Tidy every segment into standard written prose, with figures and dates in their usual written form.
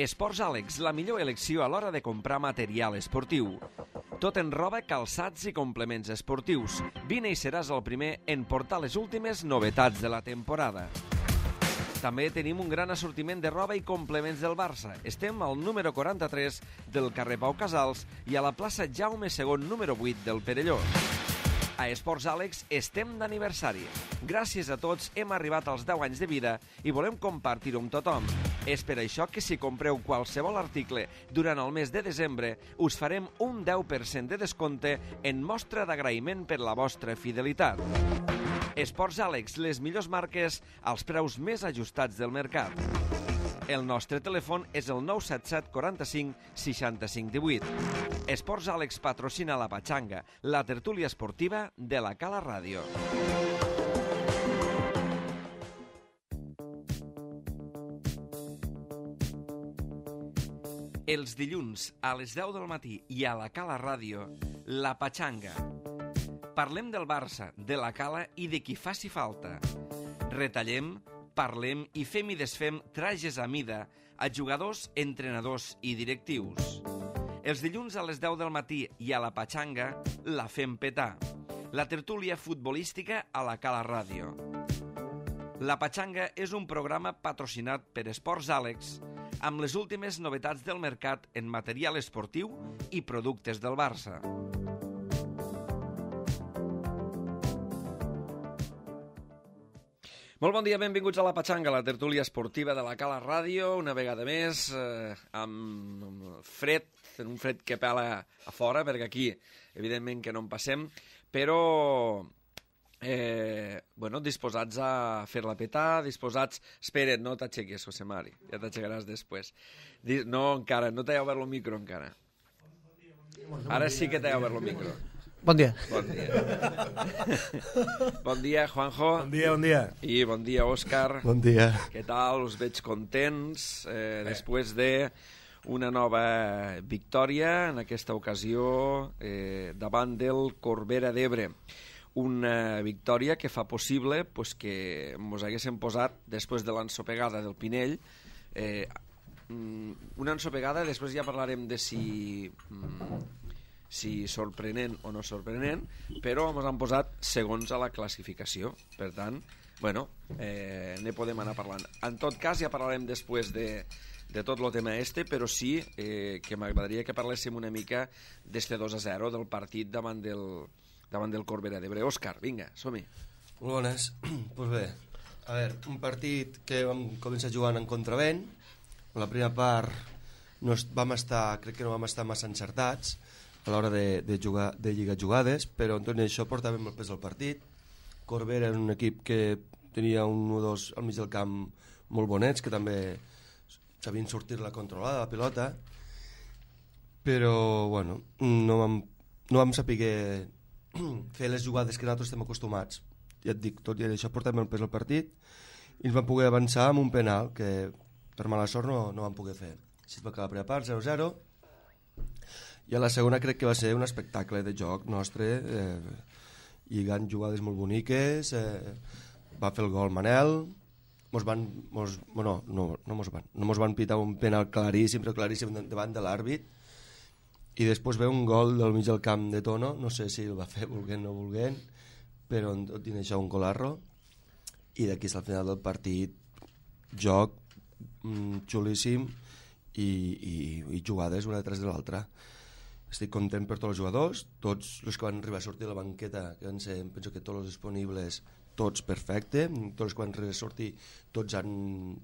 Esports Àlex, la millor elecció a l'hora de comprar material esportiu. Tot en roba, calçats i complements esportius. Vine i seràs el primer en portar les últimes novetats de la temporada. També tenim un gran assortiment de roba i complements del Barça. Estem al número 43 del carrer Pau Casals i a la plaça Jaume II, número 8 del Perelló. A Esports Àlex estem d'aniversari. Gràcies a tots hem arribat als 10 anys de vida i volem compartir-ho amb tothom. És per això que si compreu qualsevol article durant el mes de desembre, us farem un 10% de descompte en mostra d'agraïment per la vostra fidelitat. Esports Àlex, les millors marques als preus més ajustats del mercat. El nostre telèfon és el 977 45 65 18. Esports Àlex patrocina la Patxanga, la tertúlia esportiva de la Cala Ràdio. Els dilluns a les 10 del matí i a la Cala Ràdio, la Patxanga. Parlem del Barça, de la Cala i de qui faci falta. Retallem, parlem i fem i desfem trajes a mida a jugadors, entrenadors i directius. Els dilluns a les 10 del matí i a la Patxanga la fem petar. La tertúlia futbolística a la Cala Ràdio. La Patxanga és un programa patrocinat per Esports Àlex amb les últimes novetats del mercat en material esportiu i productes del Barça. Molt bon dia, benvinguts a la Patxanga, la tertúlia esportiva de la Cala Ràdio, una vegada més, amb fred, un fred que pela a fora, perquè aquí, evidentment, que no en passem, però, disposats a fer-la petar, disposats... Espera't, no t'aixequis, José Mari, ja t'aixecaràs després. No, encara, no t'he obert el micro, encara. Ara sí que t'he obert el micro. Bon dia. Bon dia. Bon dia, Juanjo. Bon dia, bon dia. I bon dia, Òscar. Bon dia. Què tal? Us veig contents després d'una nova victòria, en aquesta ocasió, davant del Corbera d'Ebre. Una victòria que fa possible que ens haguéssim posat, després de l'ensopegada del Pinell, una ensopegada, després ja parlarem de si sorprenent o no sorprenent, però ens han posat segons a la classificació. Per tant, ne podem anar parlant. En tot cas, ja parlarem després de tot el tema però sí que m'agradaria que parléssim una mica d'este 2-0 del partit davant del Corbera d'Ebre. Òscar, vinga, som-hi. Molt bones. Doncs bé, a veure, un partit que vam començar jugant en contravent. En la primera part crec que no vam estar massa encertats a l'hora de lligar jugades, però en tot això portàvem el pes del partit. Corbera és un equip que tenia un 1-2 al mig del camp molt bonets, que també sabien sortir-la controlada, la pilota, però no vam saber fer les jugades que nosaltres estem acostumats. Ja et dic, tot i això portàvem el pes del partit i ens vam poder avançar amb un penal que per mala sort no vam poder fer. Així es va acabar la primera part, 0-0. I a la segona crec que va ser un espectacle de joc nostre, lligant jugades molt boniques, va fer el gol Manel, no mos van pitar un penal claríssim, però claríssim davant de l'àrbit, i després ve un gol del mig del camp de Tono, no sé si el va fer volent o no volent, però tot i això un golarro, i d'aquí al final del partit, joc xulíssim i jugades una detrás de l'altra. Estic content per tots els jugadors, tots els que van arribar a sortir de la banqueta, que van ser, penso que tots els disponibles, tots perfecte, tots els que van arribar a sortir, tots amb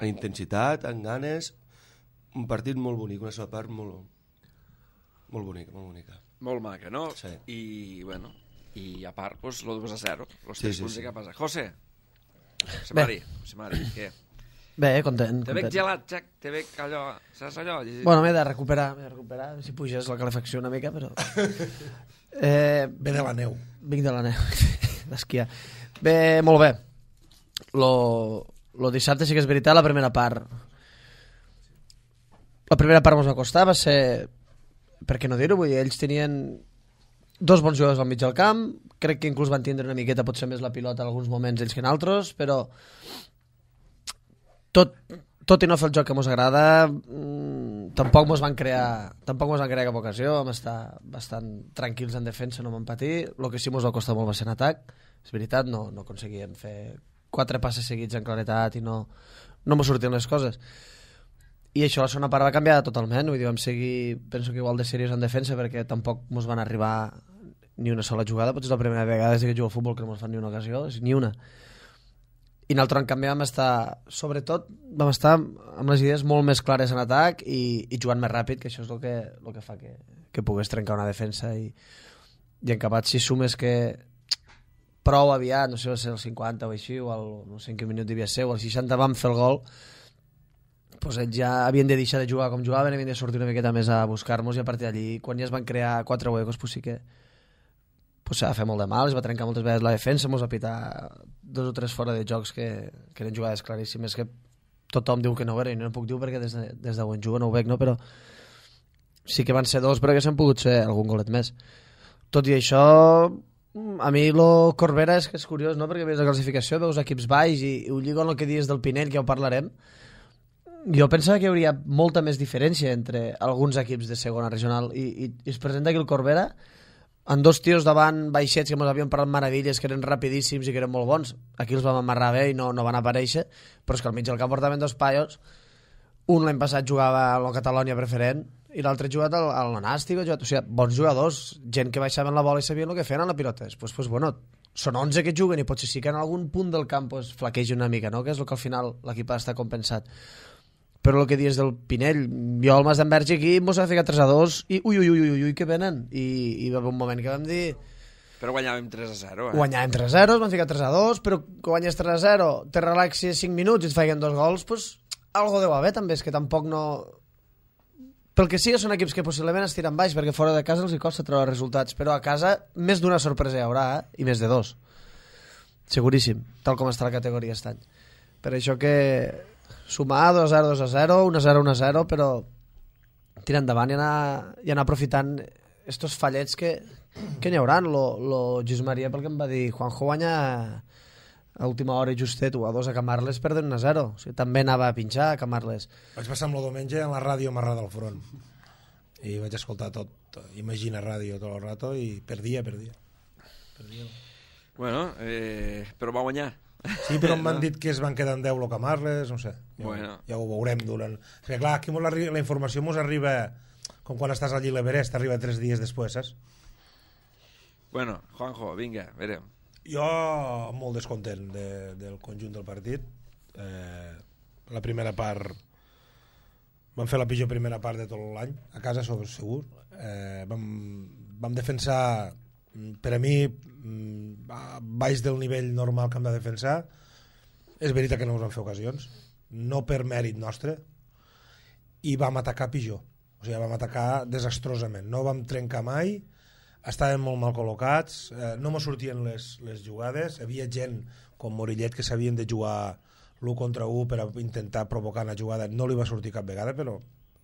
intensitat, amb ganes, un partit molt bonic, una segona part molt bonica. Molt maca, no? Sí. I a part, el 2-0, els 3 punts de cap a casa. José Mari, què? Bé, content. Te veig gelat, Jack, te veig allò... Saps allò? Bueno, m'he de recuperar, si puges la calefacció una mica, però... Ve de la neu. Vinc de la neu, d'esquiar. Bé, molt bé. Lo dissabte sí que és veritat, la primera part. La primera part ens va costar, va ser... Per què no dir-ho? Vull dir, ells tenien 2 bons jugadors al mig del camp, crec que inclús van tindre una miqueta potser més la pilota en alguns moments ells que en altres, però tot tot i no fer el joc que ens agrada, tampoc ens van crear cap ocasió, vam estar bastant tranquils en defensa, no vam patir. El que sí ens va costar molt va ser en atac, és veritat, no aconseguien fer 4 passes seguits en claretat i no m'ho sortien les coses. I això la segona part va canviar totalment, vull dir, vam seguir, penso que igual de seriós en defensa, perquè tampoc ens van arribar ni una sola jugada, potser és la primera vegada des que jugo al futbol que no ens fan ni una ocasió, ni una. I nosaltres, en canvi, vam estar amb les idees molt més clares en atac i jugant més ràpid, que això és el que fa que pogués trencar una defensa i en acabat, si sumes que prou aviat, no sé, va ser el 50 o així, o no sé en quin minut devia ser, o el 60 vam fer el gol, doncs ells ja havien de deixar de jugar com jugaven, havien de sortir una miqueta més a buscar-nos, i a partir d'allí, quan ja es van crear 4 huecos, doncs sí que s'ha de fer molt de mal, es va trencar moltes vegades la defensa, ens va pitar 2 o 3 fora de jocs que eren jugades claríssimes, que tothom diu que no ho era, i no puc dir perquè des d'on jugo no ho veig, no? Però sí que van ser 2, però que s'han pogut ser algun golet més. Tot i això, a mi el Corbera és que és curiós, no? Perquè veus la classificació, veus equips baix i ho lligo amb el que dius del Pinell, que ja ho parlarem. Jo pensava que hi hauria molta més diferència entre alguns equips de segona regional i es presenta aquí el Corbera amb 2 tios davant baixets que ens havien parlat meravelles, que eren rapidíssims i que eren molt bons. Aquí els vam amarrar bé i no van aparèixer, però és que al mig del camp portaven 2 paios. Un l'any passat jugava a la Catalònia preferent i l'altre ha jugat al Nàstic, o sigui, bons jugadors, gent que baixaven la bola i sabien el que feien a la pilota. Després, bueno, són 11 que juguen i potser sí que en algun punt del camp flaquegi una mica, no? Que és el que al final l'equip ha d'estar compensat. Però el que dius del Pinell, jo al Mas d'Enverge aquí mos va ficar 3-2 i ui, que venen. I va haver un moment que vam dir... Però guanyàvem 3-0, Guanyàvem 3-0, ens van ficar 3-2, però que guanyes 3-0, te relaxis 5 minuts i et feien 2 gols, doncs algo deu haver també, és que tampoc no... Pel que sí, són equips que possiblement es tiren baix, perquè fora de casa els hi costa treure resultats, però a casa més d'una sorpresa hi haurà, i més de 2. Seguríssim, tal com està la categoria aquest any. Per això que... sumar 2-0, 2-0, 1-0, 1-0, però tirar endavant i anar aprofitant estos fallets que n'hi haurà. Lo Lluís Maria, pel que em va dir, Juanjo guanya a última hora i justet 1-2 a Camarles, perden 1-0. O sigui, també anava a pinxar a Camarles. Vaig passar amb el diumenge en la ràdio amarrada al front i vaig escoltar tot, Imagina Ràdio tot el rato, i perdia. Bueno, però va guanyar. Sí, però m'han dit que es van quedar en 10 lo Camarles, no sé. Ja ho veurem durant... Perquè clar, aquí la informació ens arriba com quan estàs allí a l'Everest, arriba 3 dies després, saps? Bueno, Juanjo, vinga, verem. Jo molt descontent del conjunt del partit. La primera part... Vam fer la pitjor primera part de tot l'any, a casa segur. Vam defensar, per a mi, baix del nivell normal que hem de defensar. És veritat que no ens vam fer ocasions, no per mèrit nostre, i vam atacar pitjor. O sigui, vam atacar desastrosament. No vam trencar mai, estàvem molt mal col·locats, no me sortien les jugades, hi havia gent com Morillet que sabien de jugar l'1 contra 1 per intentar provocar una jugada, no li va sortir cap vegada, però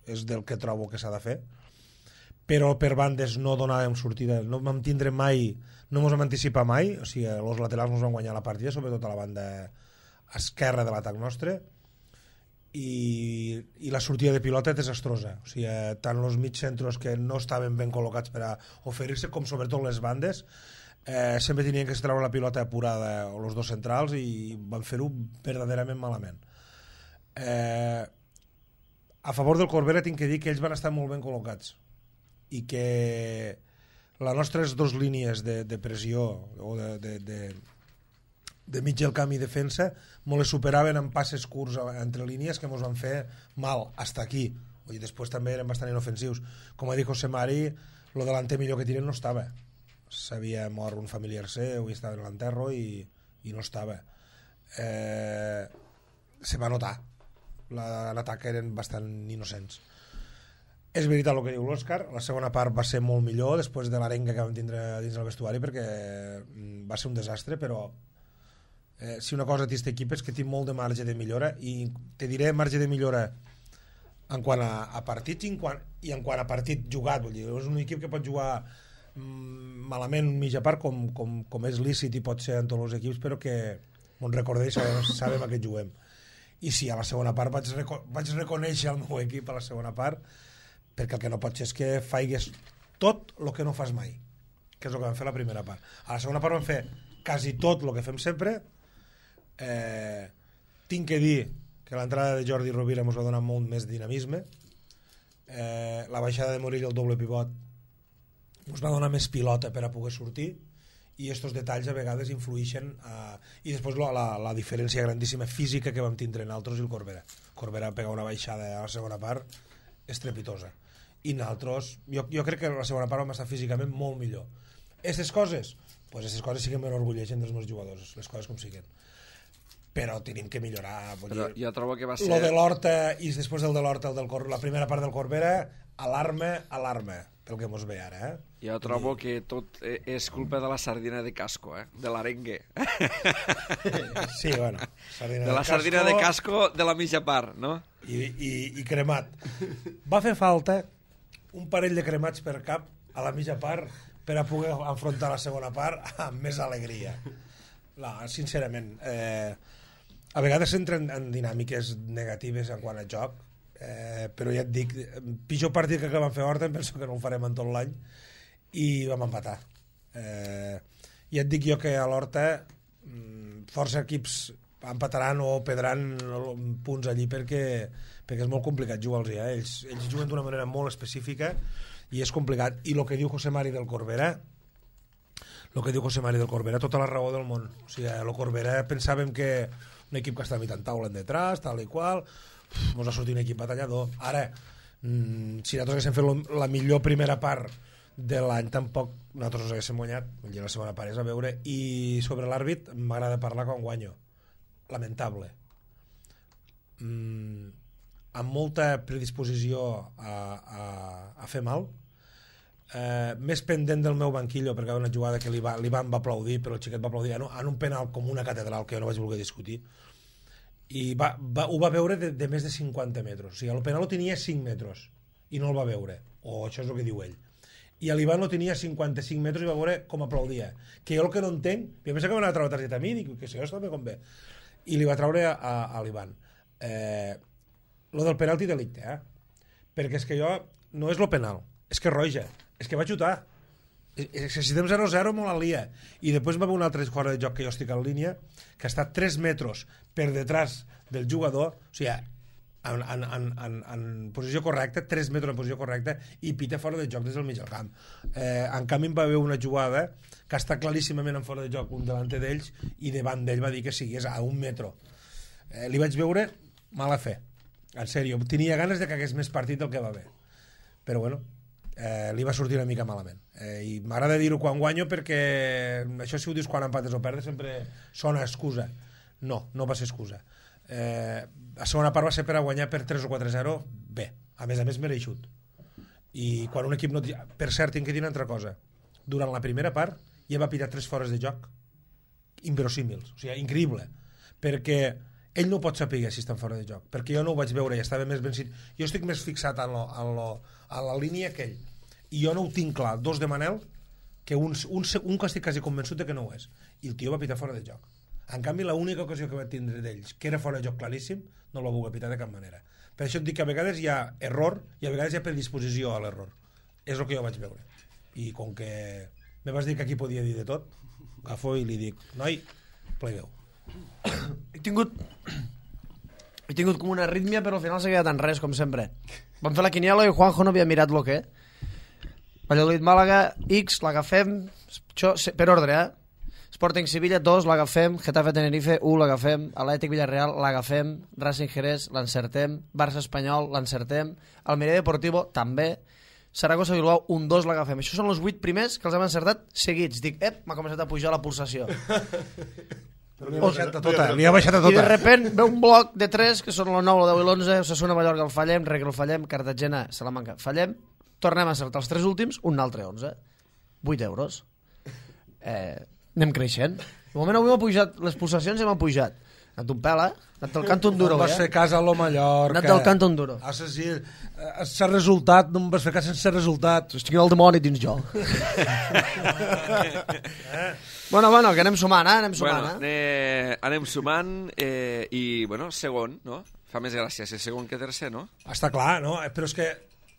és del que trobo que s'ha de fer. Però per bandes no donàvem sortida, no vam tindre mai, no ens vam anticipar mai, o sigui, els laterals ens van guanyar la partida, sobretot a la banda esquerra de l'atac nostre, i la sortida de pilota és desastrosa, o sigui, tant els mig centros que no estaven ben col·locats per a oferir-se, com sobretot les bandes, sempre tenien que treure la pilota apurada, o els dos centrals, i van fer-ho verdaderament malament. A favor del Corbera tinc que dir que ells van estar molt ben col·locats, i que les nostres 2 línies de pressió o de mig del camp i defensa molt les superaven en passes curts entre línies que ens van fer mal hasta aquí. I després també eren bastant inofensius. Com ha dit José Mari, el delanter millor que tiren no estava, s'havia mort un familiar seu i estava en l'enterro i no estava. Se va notar, l'atac eren bastant innocents. És veritat el que diu l'Òscar, la segona part va ser molt millor després de l'arenga que vam tindre dins del vestuari, perquè va ser un desastre, però si una cosa té aquest equip és que té molt de marge de millora, i te diré marge de millora en quant a partits i en quant a partit jugat. Vull dir, és un equip que pot jugar malament mitja part com és lícit i pot ser en tots els equips, però que ens recordem, sabem a què juguem. i sí, a la segona part vaig reconèixer el meu equip a la segona part, perquè el que no pots és que faigues tot el que no fas mai, que és el que vam fer a la primera part. A la segona part vam fer quasi tot el que fem sempre. Tinc que dir que l'entrada de Jordi Rovira ens va donar molt més dinamisme. La baixada de Morell, el doble pivot, ens va donar més pilota per a poder sortir, i estos detalls a vegades influïxen i després la diferència grandíssima física que vam tindre nosaltres i el Corbera pega una baixada a la segona part estrepitosa, i nosaltres jo crec que a la segona part vam estar físicament molt millor. Aquestes coses sí que m'enorgulleixen dels meus jugadors, les coses com siguen, però tenim que millorar. Però jo trobo que va ser... Lo de l'Horta, i després el de l'Horta, la primera part del Corbera, alarma pel que mos ve ara, Jo trobo que tot és culpa de la sardina de casco, de l'arengue. Sí, bueno, sardina de casco de la mitja part, no? I cremat. Va fer falta un parell de cremats per cap a la mitja part per a poder enfrontar la segona part amb més alegria. Sincerament, a vegades s'entren en dinàmiques negatives en quant a joc, però ja et dic, pitjor partit que vam fer a Horta, em penso que no ho farem en tot l'any, i vam empatar. Ja et dic jo que a l'Horta força equips empataran o perdran punts allí perquè és molt complicat jugar-los. Ells juguen d'una manera molt específica i és complicat. I el que diu José Mari del Corbera, tota la raó del món. O sigui, el Corbera pensàvem que un equip que està mitjant taula en detrás, tal i qual, ens va sortir un equip batallador. Ara, si nosaltres haguéssim fet la millor primera part de l'any, tampoc nosaltres haguéssim guanyat. La segona part és a veure. I sobre l'àrbit m'agrada parlar quan guanyo. Lamentable. Amb molta predisposició a fer mal, més pendent del meu banquillo, perquè hi va una jugada que l'Ivan va aplaudir, però el xiquet va aplaudir en un penal com una catedral que jo no vaig voler discutir, i ho va veure de més de 50 metres. O sigui, el penal ho tenia 5 metres i no el va veure, o això és el que diu ell, i l'Ivan lo tenia 55 metres i va veure com aplaudia, que jo el que no entenc, jo pensava que m'anava a treure targeta a mi, dic que si això també convé, i li va treure a l'Ivan. Lo del penalti delicte, perquè és que jo no és lo penal, és que roja, és que va xutar, és que si estem 0-0 molt al lia, i després va haver un altre fora de joc que jo estic en línia, que està 3 metres per detrás del jugador, o sigui, en posició correcta, 3 metres en posició correcta, i pita fora de joc des del mig del camp. En canvi va haver una jugada que està claríssimament en fora de joc un delante d'ells, i davant d'ell va dir que sigués a 1 metre. Li vaig veure mala fe, en sèrio, tenia ganes de que hagués més partit del que va haver, però bueno, li va sortir una mica malament, i m'agrada dir-ho quan guanyo, perquè això si ho dius quan empates o perdes sempre sona excusa. No va ser excusa. La segona part va ser per a guanyar per 3 o 4-0 bé, a més mereixut, i quan un equip no... Per cert, tinc que dir una altra cosa, durant la primera part ja va pillar 3 fores de joc inverosímils, o sigui, increïble, perquè ell no pot saber si estan fora de joc, perquè jo no ho vaig veure i estava més ben... Jo estic més fixat en la línia que ell, i jo no ho tinc clar, 2 de Manel, que un que estic quasi convençut de que no ho és, i el tio va pitar fora de joc. En canvi, l'única ocasió que va tindre d'ells, que era fora de joc claríssim, no el va voler pitar de cap manera. Per això et dic que a vegades hi ha error i a vegades hi ha predisposició a l'error. És el que jo vaig veure. I com que me vas dir que aquí podia dir de tot, agafo i li dic, noi, plegueu. He tingut com una arrítmia, però al final s'ha quedat en res, com sempre. Vam fer la quiniela i Juanjo no havia mirat lo que. Valladolid Màlaga, X, l'agafem, per ordre, Sporting Sevilla, 2, l'agafem, Getafe Tenerife, 1, l'agafem, Atlètic Villarreal, l'agafem, Racing Jerez, l'encertem, Barça Espanyol, l'encertem, Almeria Deportivo, també, Saragossa Bilbao, 1-2, l'agafem. Això són els 8 primers que els hem encertat seguits. Dic, m'ha començat a pujar la pulsació. Però li ha baixat a tota. I de repent ve un bloc de 3, que són el 9, el 10 i l'11, Osasuna, Mallorca, el fallem, Reguer, el fallem, Cartagena, Salamanca, fallem, tornem a encertar els 3 últims, un altre 11. 8 euros. Anem creixent. De moment avui m'ha pujat, les pulsacions ja m'han pujat. Anat un pèl, Anat del canto un duro, No vas fer cas a lo Mallorca. Anat del canto un duro. Sense resultat, no em vas fer cas sense resultat. Estic el dimoni dins jo. Bueno, que anem sumant, Anem sumant, anem sumant i, bueno, segon, no? Fa més gràcia ser segon que tercer, no? Està clar, no? Però és que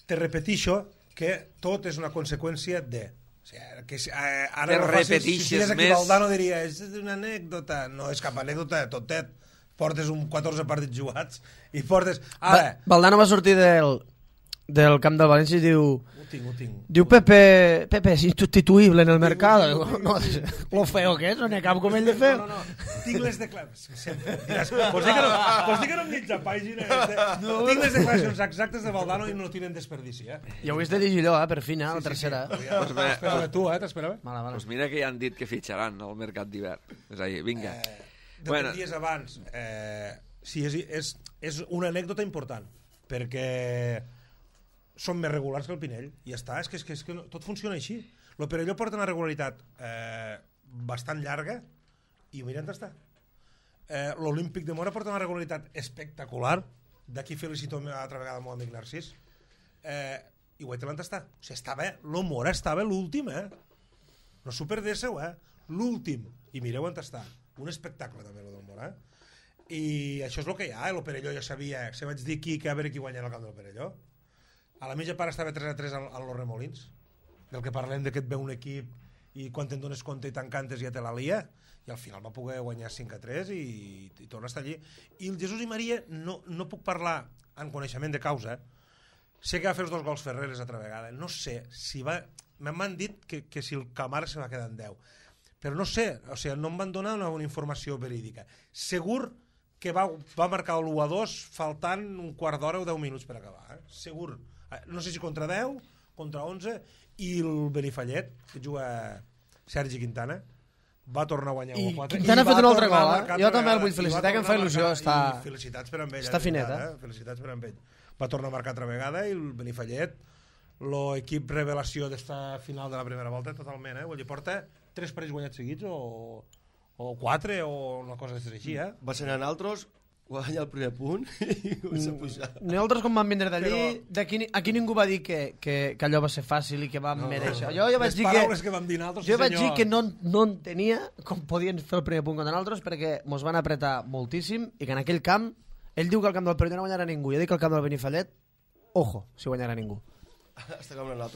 te repetixo que tot és una conseqüència de... O sigui, que ara te repetixes més... Valdano diria, és una anècdota. No és cap anècdota, totet. Portes 14 partits jugats i portes... Ara... Valdano va sortir del camp del València i diu... Ho tinc. Diu Pepe és insustituïble en el mercado. No, lo feo que és, no n'hi ha cap com ell de feo. No. Tinc les declaracions... Sempre diràs, vols dir que no em mitja pàgina? Tinc les declaracions exactes de Valdano i no tenen desperdici, I ho hagués de dir allò, per fi, la tercera. T'esperava tu, t'esperava? Pues mira que ja han dit que fitxaran al mercat d'hivern. És a dir, vinga. De dies abans, sí, és una anècdota important, perquè són més regulars que el Pinell, i ja està, és que tot funciona així. El Perelló porta una regularitat bastant llarga, i mira on està. L'Olímpic de Mora porta una regularitat espectacular, d'aquí felicito altra vegada el meu amic Narcís, i guaita on està. O sigui, el Mora estava l'últim, no s'ho perdéssiu, l'últim, i mireu on està. Un espectacle també, el del Mora. I això és el que hi ha, el Perelló ja sabia, se vaig dir que a veure qui guanyarà el camp del Perelló. A la mitja part estava 3-3 a los Remolins, del que parlem de que et ve un equip i quan te'n dones compte i t'encantes ja te la lia, i al final va poder guanyar 5-3 i torna a estar allí. I el Jesús i Maria no puc parlar en coneixement de causa. Sé que va fer els 2 gols Ferreres altra vegada, no sé si va... M'han dit que si el Camar se va quedar en 10, però no sé, o sigui, no em van donar una informació verídica. Segur que va marcar l'1-2 faltant un quart d'hora o 10 minuts per acabar, segur. No sé si contra 10, contra 11, i el Benifallet, que juga Sergi Quintana, va tornar a guanyar 1-4. I Quintana ha fet un altre gol, Jo també el vull felicitar, que em fa il·lusió. Felicitats per amb ell. Està finet, Felicitats per amb ell. Va tornar a marcar altra vegada, i el Benifallet, l'equip revelació d'esta final de la primera volta, totalment, Vull dir, porta 3 partits guanyats seguits, o 4, o una cosa així, Va ser en altres... guanya el primer punt i comença a pujar. Nosaltres quan vam vindre d'allí, aquí ningú va dir que allò va ser fàcil i que vam mereixer. Jo vaig dir que no entenia com podien fer el primer punt contra nosaltres, perquè mos van apretar moltíssim i que en aquell camp, ell diu que el camp del Perelló no guanyarà ningú, jo dic que el camp del Benifallet, ojo, si guanyarà ningú.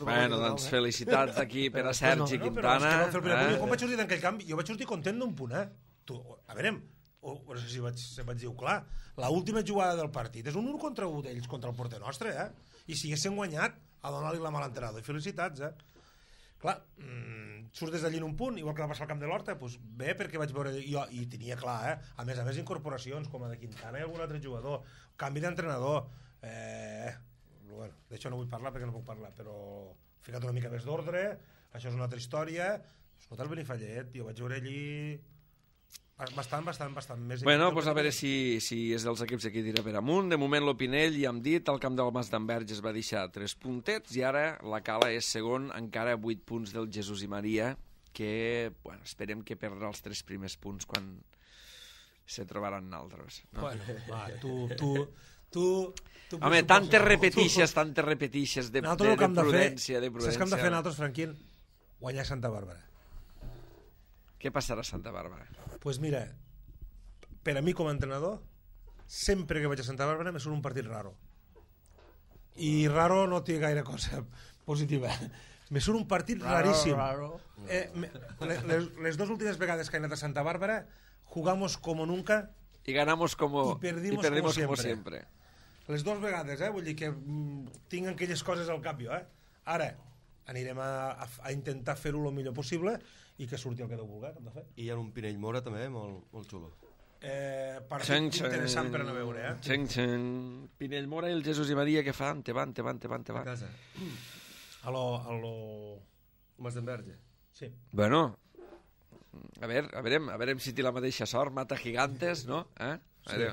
Bueno, doncs felicitats aquí per a Sergi Quintana. Jo vaig sortir d'aquell camp, jo vaig sortir content d'un punt, A veure, no sé si vaig dir-ho clar, l'última jugada del partit és un 1 contra 1 d'ells contra el porter nostre, i si haguessin guanyat a donar-li la mal entrenador, i felicitats, clar, surts des d'allí en un punt, igual que va passar al camp de l'Horta, doncs bé, perquè vaig veure jo, i tenia clar, a més incorporacions com a de Quintana i algun altre jugador, canvi d'entrenador, bueno, d'això no vull parlar perquè no puc parlar, però ficat una mica més d'ordre, això és una altra història. Escolta, el Benifallet, jo vaig veure allí bastant més... Bueno, doncs a veure si és dels equips aquí tira per amunt. De moment l'Opinell, ja hem dit, el camp del Mas d'Enverge es va deixar 3 puntets i ara la Cala és segon, encara 8 punts del Jesús i Maria, que, bueno, esperem que perdrà els 3 primers punts quan se trobaran altres. No? Bueno, va, tu... Home, tantes repetixes de prudència. Saps què hem de fer nosaltres, Franquín? Guanyar Santa Bàrbara. Què passarà a Santa Bàrbara? Pues mira, per a mi com a entrenador, sempre que vaig a Santa Bàrbara me surt un partit raro. I raro no té gaire cosa positiva. Me surt un partit raríssim. Les 2 últimes vegades que he anat a Santa Bàrbara, jugamos como nunca y ganamos como y perdimos como siempre. Les 2 vegades, vull dir que tinc aquelles coses al cap jo. Ara, anirem a intentar fer-ho el millor possible i que surti el que Déu vulgui, que hem de fer. I hi ha un Pinell Mora també, molt xulo. Partit interessant per anar a veure, Pinell Mora i el Jesús i Maria que fan? Te van. A casa. A lo... Mas d'Enverge. Sí. Bueno, a veure si té la mateixa sort, mata gigantes, no? Sí.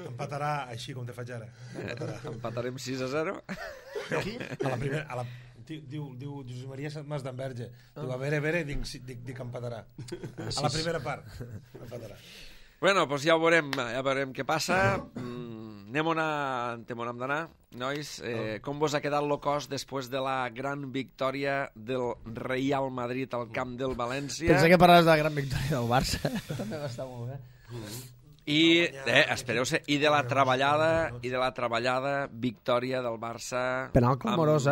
Empatarà així com te faig ara. Empatarem 6-0. A la primera... Diu Josep Maria Mas d'Enverge. Diu, a veure, dic empatarà. A la primera part empatarà. Bueno, doncs ja veurem què passa. Anem on hem d'anar, nois. Com vos ha quedat el cos després de la gran victòria del Real Madrid al camp del València? Pensé que parlaves de la gran victòria del Barça. També va estar molt bé. I, espereu-se, i de la treballada victòria del Barça... Penal clamorós,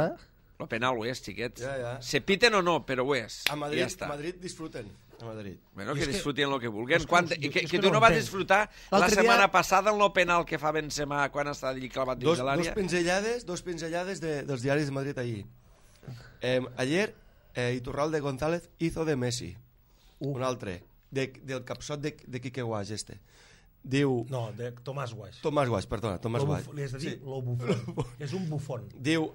El penal ho és, xiquets. Ja. Se piten o no, però ho és. A Ja Madrid, està. Madrid disfruten. A Madrid. Bueno, que disfrutin el que vulguin. és Que que tu no no vas entenc. disfrutar la L'altre setmana dia- passada en el penal que fa Benzema quan està allí clavat dins de l'àrea. Dos pinzellades dels diaris de Madrid allí. Ayer Iturralde González hizo de Messi. Un altre. Del capsot de Quique Guaix, este. Diu... No, de Tomàs Guaix. Tomás Guaix, perdona, Tomás Guaix. Li has de dir lo bufón. És un bufón. Diu,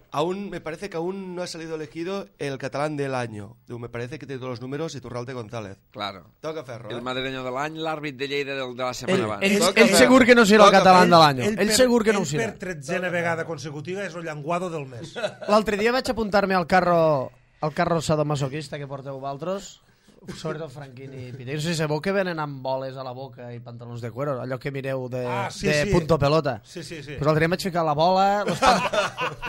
me parece que aún no ha salido elegido el catalán del año. Diu, me parece que tiene todos los números Iturralde González. Claro. Toca ferro, El madrileño de l'any, l'àrbit de Lleida de la setmana abans. Ell segur que no serà el català de l'any. Ell segur que no ho Ell serà. per 13a vegada consecutiva és el llenguado del mes. L'altre dia vaig apuntar-me al carro sadomasoquista que porteu vosaltres, sobretot Franquín i Pite. No sé si sabeu que venen amb boles a la boca i pantalons de cuero, allò que mireu de punto pelota. Sí. Pues l'altre dia vaig ficar la bola,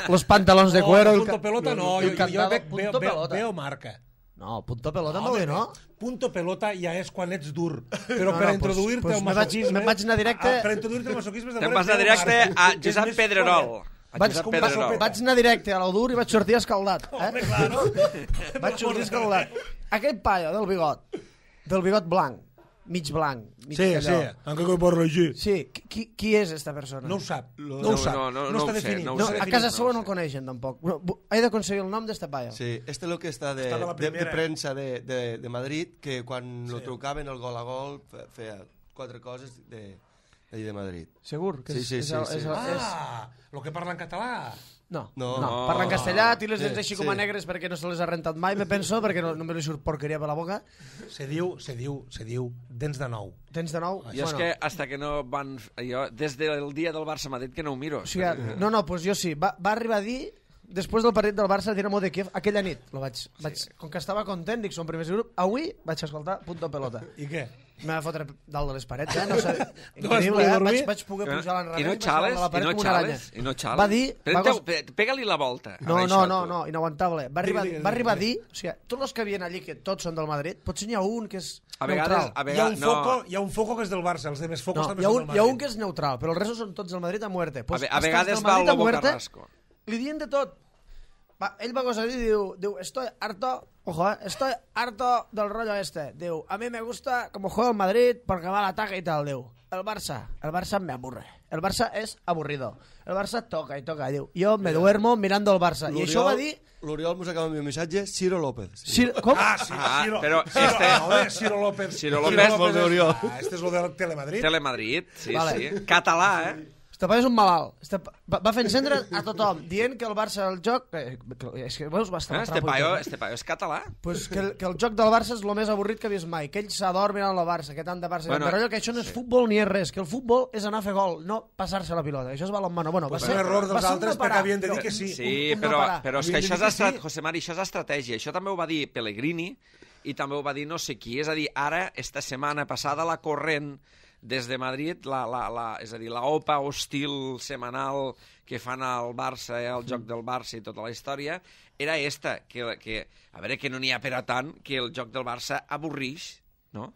los pantalons de cuero... Punto pelota no, jo veo marca. No, punto pelota molt bé, no? Punto pelota ja és quan ets dur. Però per introduir-te al masoquisme... Me'n vaig anar directe... Per introduir-te al masoquisme... Te'n vas anar directe a Josep Pedrerol. Vaig anar directe a l'Odur i vaig sortir escaldat. Home, claro. Vaig sortir escaldat. Aquest paio del bigot blanc, mig blanc, mig Sí, allò. aunque coi parla així. Sí, qui és esta persona? No ho sap. No No ho sap. ho No està sé, definit. no ho No, sé. a casa seva no el coneixen, tampoc. He d'aconseguir el nom d'este paio. Sí, este es lo que está Está de la de primera. prensa de Madrid, que quan lo trucaven el gol a gol feia 4 coses d'allí de Madrid. Segur? Que Sí. Lo que parla en català. No, No. parla en castellà, té les dents Sí, així com a sí. negres perquè no se les ha rentat mai, me penso, perquè no me li surt porqueria per la boca. Se diu dents de nou. Tens de nou? Jo és que hasta que no van... Jo, des del dia del Barça-Madrid que no ho miro. O sigui, no, pues jo sí. Va arribar a dir, després del partit del Barça, Dinamo de Kiev, aquella nit, com que estava content, dic, som primers grup, avui vaig escoltar Punto Pelota. I què? Me va fotre dalt de les parets, no sé. No vas Increïble, poder dormir? Vaig poder pujar a l'enrere I no vaig anar a la paret com una aranya. I no xales. Va dir... Pega-li la volta. No, a això, tu. no, inaguantable. Va arribar a dir, o sigui, tots els que havien allí, que tots són del Madrid, potser n'hi ha un que és A neutral. vegades, Hi ha un foco que és del Barça, els demés focos No, també hi ha són del un Madrid. que és neutral, però els restos són tots del Madrid a muerte. Pues, a vegades va el Lobo Carrasco. Li diuen de tot. Ell va gosar i diu, estoy harto, estoy harto del rollo este. Diu, a mí me gusta como juega el Madrid porque va al ataque y tal. Diu, el Barça me aburre. El Barça es aburrido. El Barça toca y toca. Diu, yo me duermo mirando el Barça. I això va dir... L'Oriol mos acaba d'enviar un missatge, Ciro López. Com? Ciro. però Ciro López. Ciro López, molt bé, Oriol. Este és lo de Telemadrid. Telemadrid, sí, Vale. sí. Català, Este paio és un malalt. Va fer encendre a tothom, dient que el Barça, el joc... És que veus, va estar Este paio és català. Pues que el joc del Barça és el més avorrit que he vist mai, que ell s'adorm mirant el Barça, que tant de Barça... Bueno, però allò que això no és futbol ni és res, que el futbol és anar a fer gol, no passar-se la pilota. Això és balonmano. Bueno, va És ser un error va dels ser un altres no parar, perquè havien de dir però- que sí. Sí, un no parar. però és que Havien de això dir és que sí. José Mari, això és estratègia. Això també ho va dir Pellegrini i també ho va dir no sé qui. És a dir, ara, esta setmana passada, la corrent des de Madrid, és a dir, la OPA hostil setmanal que fan al Barça, al joc del Barça i tota la història, era esta, que a veure, que no n'hi ha per a tant, que el joc del Barça avorrix, no?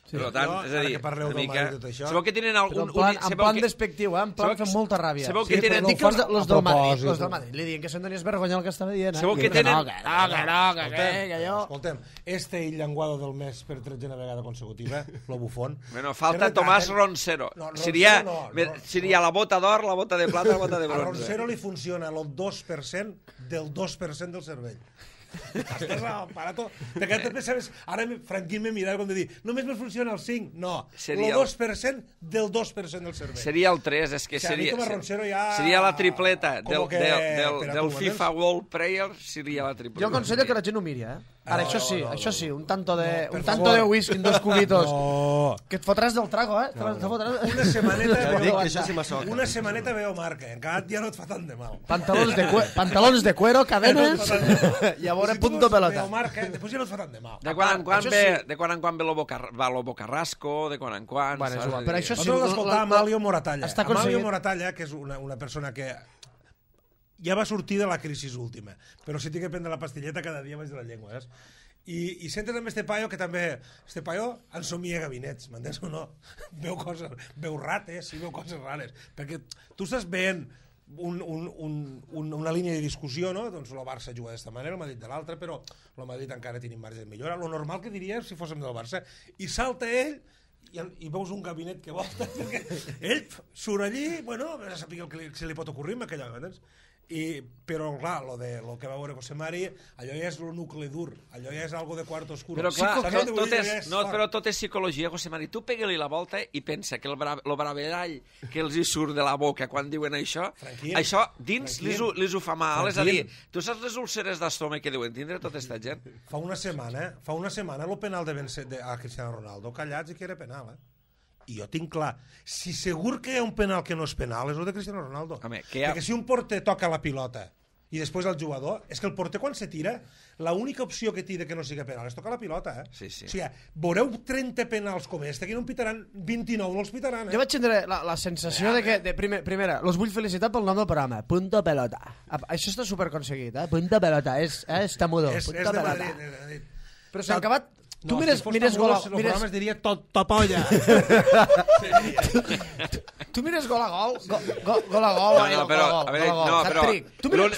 Sí. Per tant, és a Ara dir, que parleu una del mica... Madrid i tot això... Sabeu que tenen Però en plan despectiu, en plan fent molta ràbia. Sabeu Sí, que però tenen... no Dic que els fan los a del Madrid, propòsit. los del Madrid, li diuen que són d'anies vergonya el que estava dient. Sabeu que Que tenen... jo... Este llenguado del mes per 13a vegada consecutiva, lo bufón. Bueno, falta Tomás Roncero. No, Seria Roncero no. seria la bota d'or, la bota de plata, la bota de A bronze. Roncero li funciona el 2% del 2% del cervell. Estàs al aparato. Perquè després sabes, ara Franquín me mirava com de dir, només me funciona el 5. No, Seria el 2% del 2% del cervell. Seria el 3, és que O sigui, a mi seria... com a Roncero ja... Seria la tripleta Como que- del per a FIFA tu, World Player, seria la tripleta. Jo aconsello que la gent ho miri, Ara, això sí, un tanto de favor. whisky en 2 cubitos. No. Que et fotràs del trago, eh? Una setmaneta Ja dic veu, que això sí m'assoca. una setmaneta veu marca, encara ja no et fa tant de mal. Pantalons de cuero, cadenes, i a veure, punto pelota. Veu marca, després ja no et fa tant de mal. De quan en quan això ve, sí. de quan en quan ve va Lobo Carrasco, de quan en quan... Bueno, és saps? igual, però això sí, Nosaltres l'escoltava Amalio Moratalla. està Amalio aconseguit. Moratalla, que és una persona que ja va sortir de la crisi última, però si tinc que prendre la pastilleta cada dia baix de la llengua, saps? I sentes també este paio que també... Este paio ensomia gabinets, m'entens o no? Veu rates i veu coses rares. Perquè tu estàs veient una línia de discussió, no? Doncs el Barça juga d'esta manera, el Madrid de l'altra, però el Madrid encara tenim marge de millora. Lo normal que diria si fóssim del Barça. I salta ell i veus un gabinet que volta, perquè ell surt allí, bueno, a saber el que se li pot ocorrir amb aquella, m'entens? Però clar, lo que va veure José Mari, allò ja és el nucli dur, allò ja és algo de quarto oscuro. Però clar, Saps tot què vull dir? és, no, però tot és psicologia, José Mari. Tu pega-li la volta i pensa que el bravellall que els hi surt de la boca quan diuen això, això dins li ho fa mal. És a dir, tu saps les úlceres d'estómac que deuen tindre tota aquesta gent? Fa una setmana el penal a Cristiano Ronaldo, callats i que era penal, I jo tinc clar, si segur que hi ha un penal que no és penal, és el de Cristiano Ronaldo. Home, Perquè si un porter toca la pilota i després el jugador, és que el porter quan se tira, l'única opció que té que no sigui penal és tocar la pilota, Sí, sí. O sigui, veureu 30 penals com este, que no en pitaran 29, no els pitaran, Jo vaig tindre la sensació de que, primera, los vull felicitar pel nom del programa, Punto Pelota. Això està superconseguit, Punto Pelota, està mudo, És Punto de Pelota. Madrid, és de Madrid. Però s'ha acabat... Tu No, mires si fos gol... el programa es diria Topolla. Tu mires gol a gol, gol a gol, No, però, a veure, no, però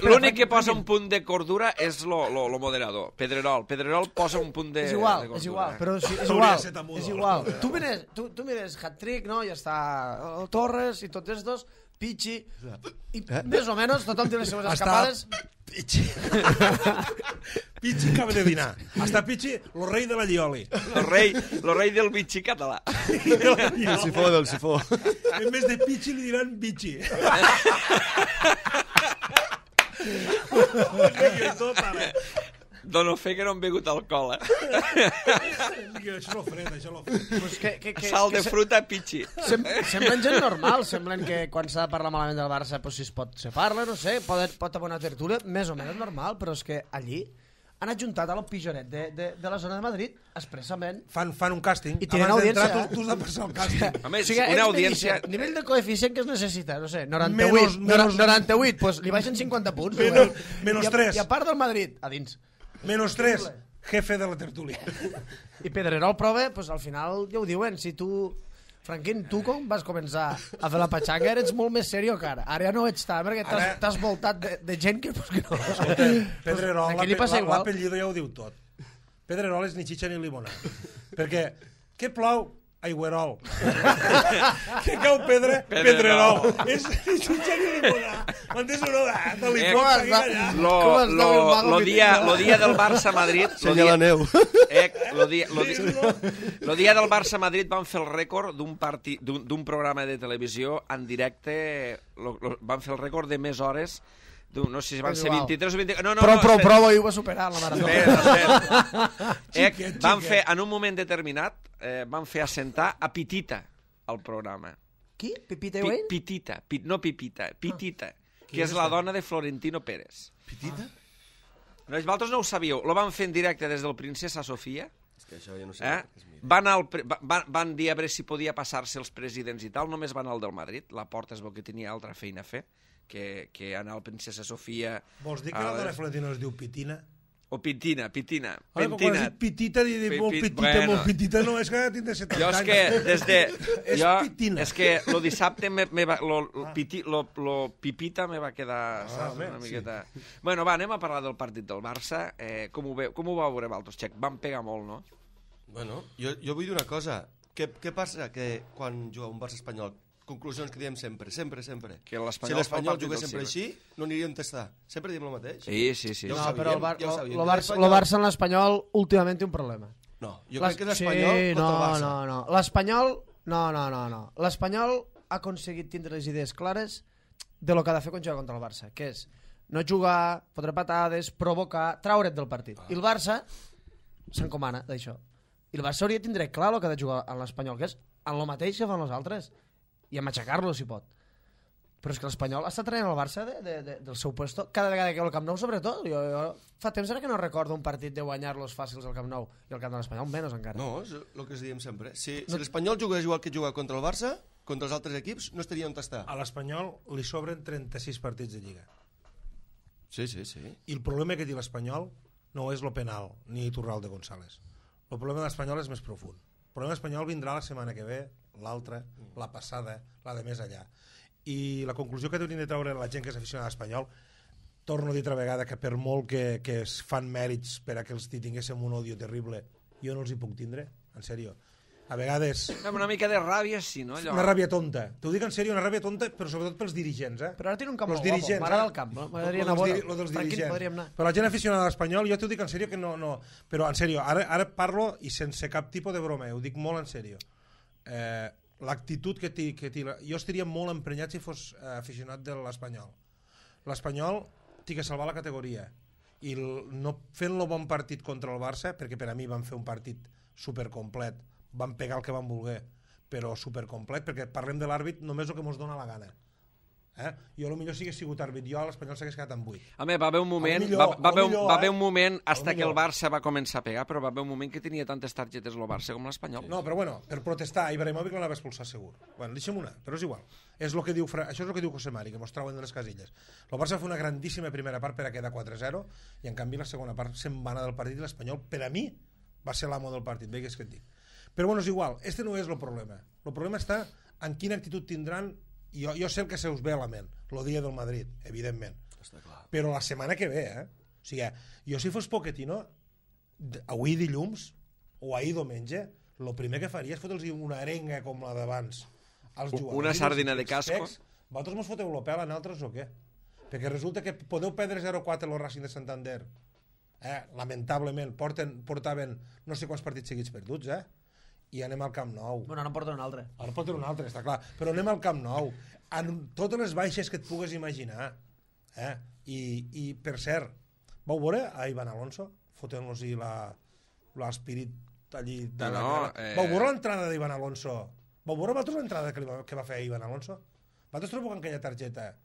l'únic que posa un punt de cordura és lo moderador, Pedrerol. Pedrerol posa un punt de cordura. És igual, però és Hauria igual, de ser tamudo. és igual. Tu mires hat-trick, no? Ja està Torres i tots estos, Pichi, i més o menys tothom té les seves escapades. Pichi. Pichi acaba de dinar. Hasta Pichi, lo rei de la Llioli. Lo rei del bitxi català. El sifó del sifó. En vez de Pichi li diran Pichi. Dono fe que no han begut alcohol, Això lo fred, això lo fred. Pues Sal de fruta, pitxi. Semblen gent normal, semblen que quan s'ha de parlar malament del Barça, pues, si se parla, no sé, pot haver una tertúlia més o menys normal, però és que allí han adjuntat a l'Pijonet de la zona de Madrid expressament. Fan un càsting. I tenen Abans audiència, d'entrar, tu has de passar el càsting. A més, O sigui, una ells audiència... me dicen, nivell de coeficient que es necessita, no sé, 98, Menos- 98, pues li baixen 50 punts. Menos I a- 3. I a part del Madrid, a dins. Menos 3, jefe de la tertúlia. I Pedrerol prova, pues al final ja ho diuen, si tu... Franquín, tu com vas començar a fer la patxanga eres molt més serio que ara. Ara ja no ets tant, perquè Ara- t'has voltat de gent que, pues, que no... Pedrerol, Aquí li passa igual. l'apellido ja ho diu tot. Pedrerol és ni xitxa ni limonada. Perquè, què plou? Aigüerol. Què cau pedra? Pedrerol. És ni xitxa ni limonada. M'entens o no? Te li pots seguir allà. Lo dia del Barça-Madrid... Senya la neu. Lo dia del Barça-Madrid van fer el rècord d'un programa de televisió en directe, van fer el rècord de més hores, no sé si van ser 23 o 24... No, Prou, i ho va superar la marató. Espera. Van fer, en un moment determinat, van fer assentar a Pitita al programa. Qui? Pipita i Wayne? Pitita, no Pipita, Pitita, que és la dona de Florentino Pérez. Pitita? No, vosaltres no ho sabíeu, lo van fer en directe des del Princesa Sofia. És que això ja no sé. Van dir a veure si podia passar-se els presidents i tal, només van al del Madrid, la Porta es veu que tenia altra feina a fer, que anar al Princesa Sofia... Vols dir que la dona Florentino es diu Pitina? O Pitina. Ara, quan has dit petita, molt petita, no, és que tindrà 70 anys. Jo és que des de... És Pitina. És que lo dissabte lo pipita me va quedar, saps, una miqueta... Bueno, va, anem a parlar del partit del Barça. Com ho vau veure vosaltres, Xec? Van pegar molt, no? Bueno, jo vull dir una cosa. Què passa que quan juga un Barça espanyol, conclusions que diem sempre, Que si l'Espanyol l'Espanyol jugués sempre així, no aniríem a tastar. Sempre diem el mateix. Sí. Ja ho No, sabíem, però ja ho sabíem. el Barça en l'Espanyol últimament té un problema. No, jo crec que l'Espanyol contra el Barça. No. L'Espanyol... No. L'Espanyol ha aconseguit tindre les idees clares de lo que ha de fer quan juga contra el Barça, que és no jugar, fotre patades, provocar, traure't del partit. I el Barça s'encomana d'això. I el Barça hauria de tindre clar el que ha de jugar en l'Espanyol, que és en el mateix que fan els altres, i a matxacar-lo si pot. Però és que l'Espanyol està traient el Barça del seu puesto cada vegada que ve al Camp Nou, sobretot. Jo fa temps ara que no recordo un partit de guanyar-los fàcils al Camp Nou, i el Camp de l'Espanyol menys encara. No, és el que diem sempre. Si l'Espanyol jugués igual que juga contra el Barça, contra els altres equips, no estaria on està. A l'Espanyol li sobren 36 partits de Lliga. Sí. I el problema que té l'Espanyol no és lo penal, ni Iturralde González. El problema de l'Espanyol és més profund. El problema de l'Espanyol vindrà la setmana que ve, l'altra, la passada, la de més allà. I la conclusió que hauríem de treure la gent que és aficionada a l'Espanyol, torno a dir altra vegada que per molt que es fan mèrits per a que els tinguéssim un odio terrible, jo no els hi puc tindre, en sèrio. A vegades... Una mica de ràbia, sí, no? Una ràbia tonta. T'ho dic en sèrio, una ràbia tonta, però sobretot pels dirigents, eh? Però ara tiene un camp molt guapo, m'agrada el camp. M'agradaria anar a veure. Lo dels Tranquil, dirigents. podríem anar. Però la gent aficionada a l'Espanyol, jo t'ho dic en sèrio que no... Però en sèrio, ara parlo i sense cap tipus de broma, ho dic molt en sèrio. L'actitud que té... Jo estaria molt emprenyat si fos aficionat de l'Espanyol. L'Espanyol té que salvar la categoria. I no fent-lo bon partit contra el Barça, perquè per a mi van fer un partit supercomplet, van pegar el que van voler, però supercomplet, perquè parlem de l'àrbit només el que ens dona la gana. Jo potser si hagués sigut àrbit, jo a l'Espanyol s'hagués quedat amb 8. Home, va haver un moment, va haver un moment hasta que el Barça va començar a pegar, però va haver un moment que tenia tantes targetes el Barça com l'Espanyol. No, però bueno, per protestar, Ibrahimovic l'anava a expulsar segur. Bueno, deixem una, però és igual. Això és el que diu José Mari, que mos trauen de les casilles. El Barça va fer una grandíssima primera part per a quedar 4-0, i en canvi la segona part se'n va anar del partit i l'Espanyol, per a mi, va ser l'amo del partit, veigues que et dic. Però bueno, és igual, este no és el problema. El problema està en quina actitud tindran. Jo sé el que se us ve a la ment, el dia del Madrid, evidentment. Està clar. Però la setmana que ve, O sigui, jo si fos Pochettino, avui dilluns, o ahir diumenge, el primer que faria és fotre'ls una arenga com la d'abans als jugadors. Una sardina de casco. Vosaltres mos foteu el pèl a nosaltres o què? Perquè resulta que podeu perdre 0-4 el Racing de Santander. Lamentablement, portaven no sé quants partits seguits perduts, i anem al Camp Nou. Bueno, ara en porten un altre. Ara porten un altre, està clar. Però anem al Camp Nou. En totes les baixes que et pugues imaginar. I per cert, vau veure a Iván Alonso fotent-los-hi l'espírit allí de la cara? Vau veure l'entrada d'Iván Alonso? Vau veure vosaltres l'entrada que va fer Iván Alonso? Vosaltres trobeu que aquella targeta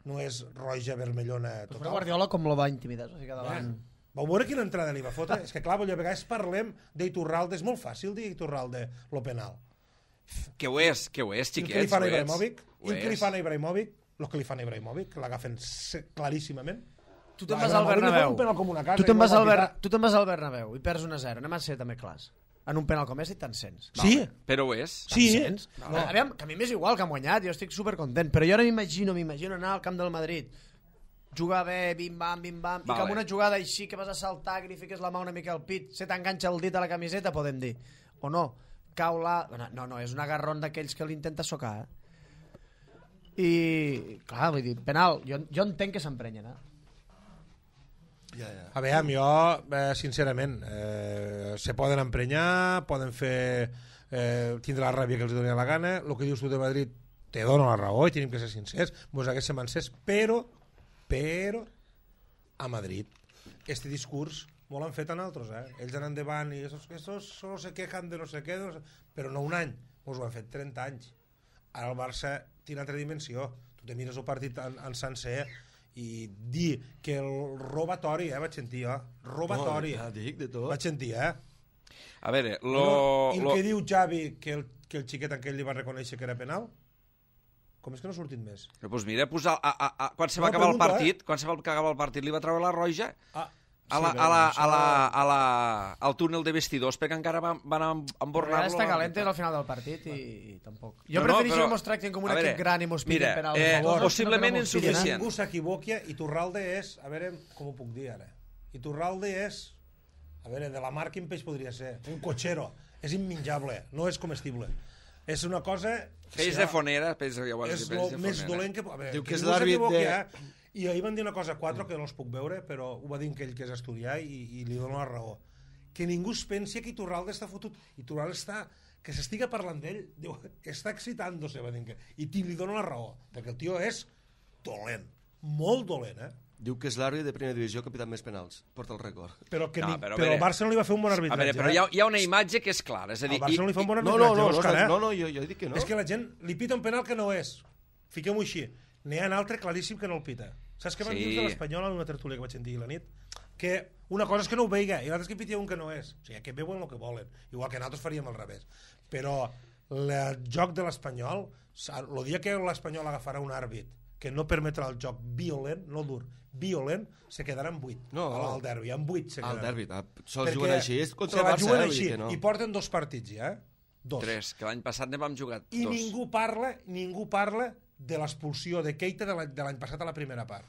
no és roja, vermellona, total? Però Guardiola com lo va intimidar? O sigui, davant... Vau veure quina entrada li va fotre? És que clar, a vegades parlem d'Iturralde, és molt fàcil dir Iturralde lo penal. Que ho és, xiquets. I el que li fan a Ibrahimovic, el que li fan a Ibrahimovic, l'agafen claríssimament. Tu te'n vas al Bernabéu. Tu te'n vas al Bernabéu i perds 1-0. Anem a ser també clars. En un penal com és i te'n sents. Sí. Però ho és. Sí. Aviam, que a mi m'és igual que han guanyat, jo estic supercontent, però jo ara m'imagino anar al camp del Madrid, jugar bé, bim-bam, i que amb una jugada així que vas a saltar, que li fiques la mà una mica al pit, se t'enganxa el dit a la camiseta, podem dir. O no, cau la... No, és un agarrón d'aquells que l'intenta socar. I, clar, vull dir, penal, jo entenc que s'emprenyen, A veure, jo, sincerament, se poden emprenyar, poden fer... tindre la ràbia que els doni la gana, el que dius tu de Madrid te dona la raó i tenim que ser sincers, mos haguéssim encès, però a Madrid este discurs molt l'han fet a nosaltres, ells han endavant i estos solo se quejan de no sé què, però no un any, mos ho han fet 30 anys. Ara el Barça té una altra dimensió, tu te mires el partit en sencer i dir que el robatori, vaig sentir robatori, vaig sentir, A veure, i el que diu Xavi que el xiquet aquell li va reconèixer que era penal, com és que no ha sortit més? Doncs mira, quan se va acabar el partit, li va treure la roja al túnel de vestidors, perquè encara van embornar-lo. Està calent al final del partit i tampoc. Jo prefereixo que mos tracten com un equip gran i mos pillen per al favor. Possiblement insuficient. Ningú s'equivoqui, Iturralde és, a veure com ho puc dir ara, Iturralde és, a veure, de la mar quin peix podria ser? Un cotxero, és immenjable, no és comestible. És una cosa... Peix de fonera, és el més dolent que... Diu que és l'àrbit de... I ahir van dir una cosa 4 que no els puc veure, però ho va dir aquell que és estudiar i li dono la raó. Que ningú es pensi que Iturralde està fotut. Iturralde està... Que s'estiga parlant d'ell, diu, que està excitant-se, va dir que... I li dono la raó, perquè el tio és dolent, molt dolent, Diu que és l'àrbitre de primera divisió que ha pitat més penals. Porta el rècord. Però No, però a el veure. Barça no li va fer un bon A arbitratge. veure, però hi ha una imatge que és clara. És a dir, El Barça no li fa un bon No, arbitratge, no, Òscar, eh? no, jo dic que no. És que la gent li pita un penal que no és. Fiquem-ho així. N'hi ha un altre claríssim que no el pita. Saps què van Sí. dir de l'Espanyol en una tertúlia que vaig sentir la nit? Que una cosa és que no ho veiga i l'altra és que pitia un que no és. O sigui, que veuen el que volen. Igual que nosaltres faríem al revés. Però el joc de l'Espanyol, el dia que l'Espanyol agafarà un àrbit que no permetrà el joc violent, no dur, violent, se quedarà en 8 al derbi, en 8 se Al quedarà. derbi, sols juguen així, és contra el la Barça, juguen vull així, dir que no. i porten 2 partits ja, 2. 3, que l'any passat ne vam jugar 2. I ningú parla de l'expulsió de Keita de l'any passat a la primera part.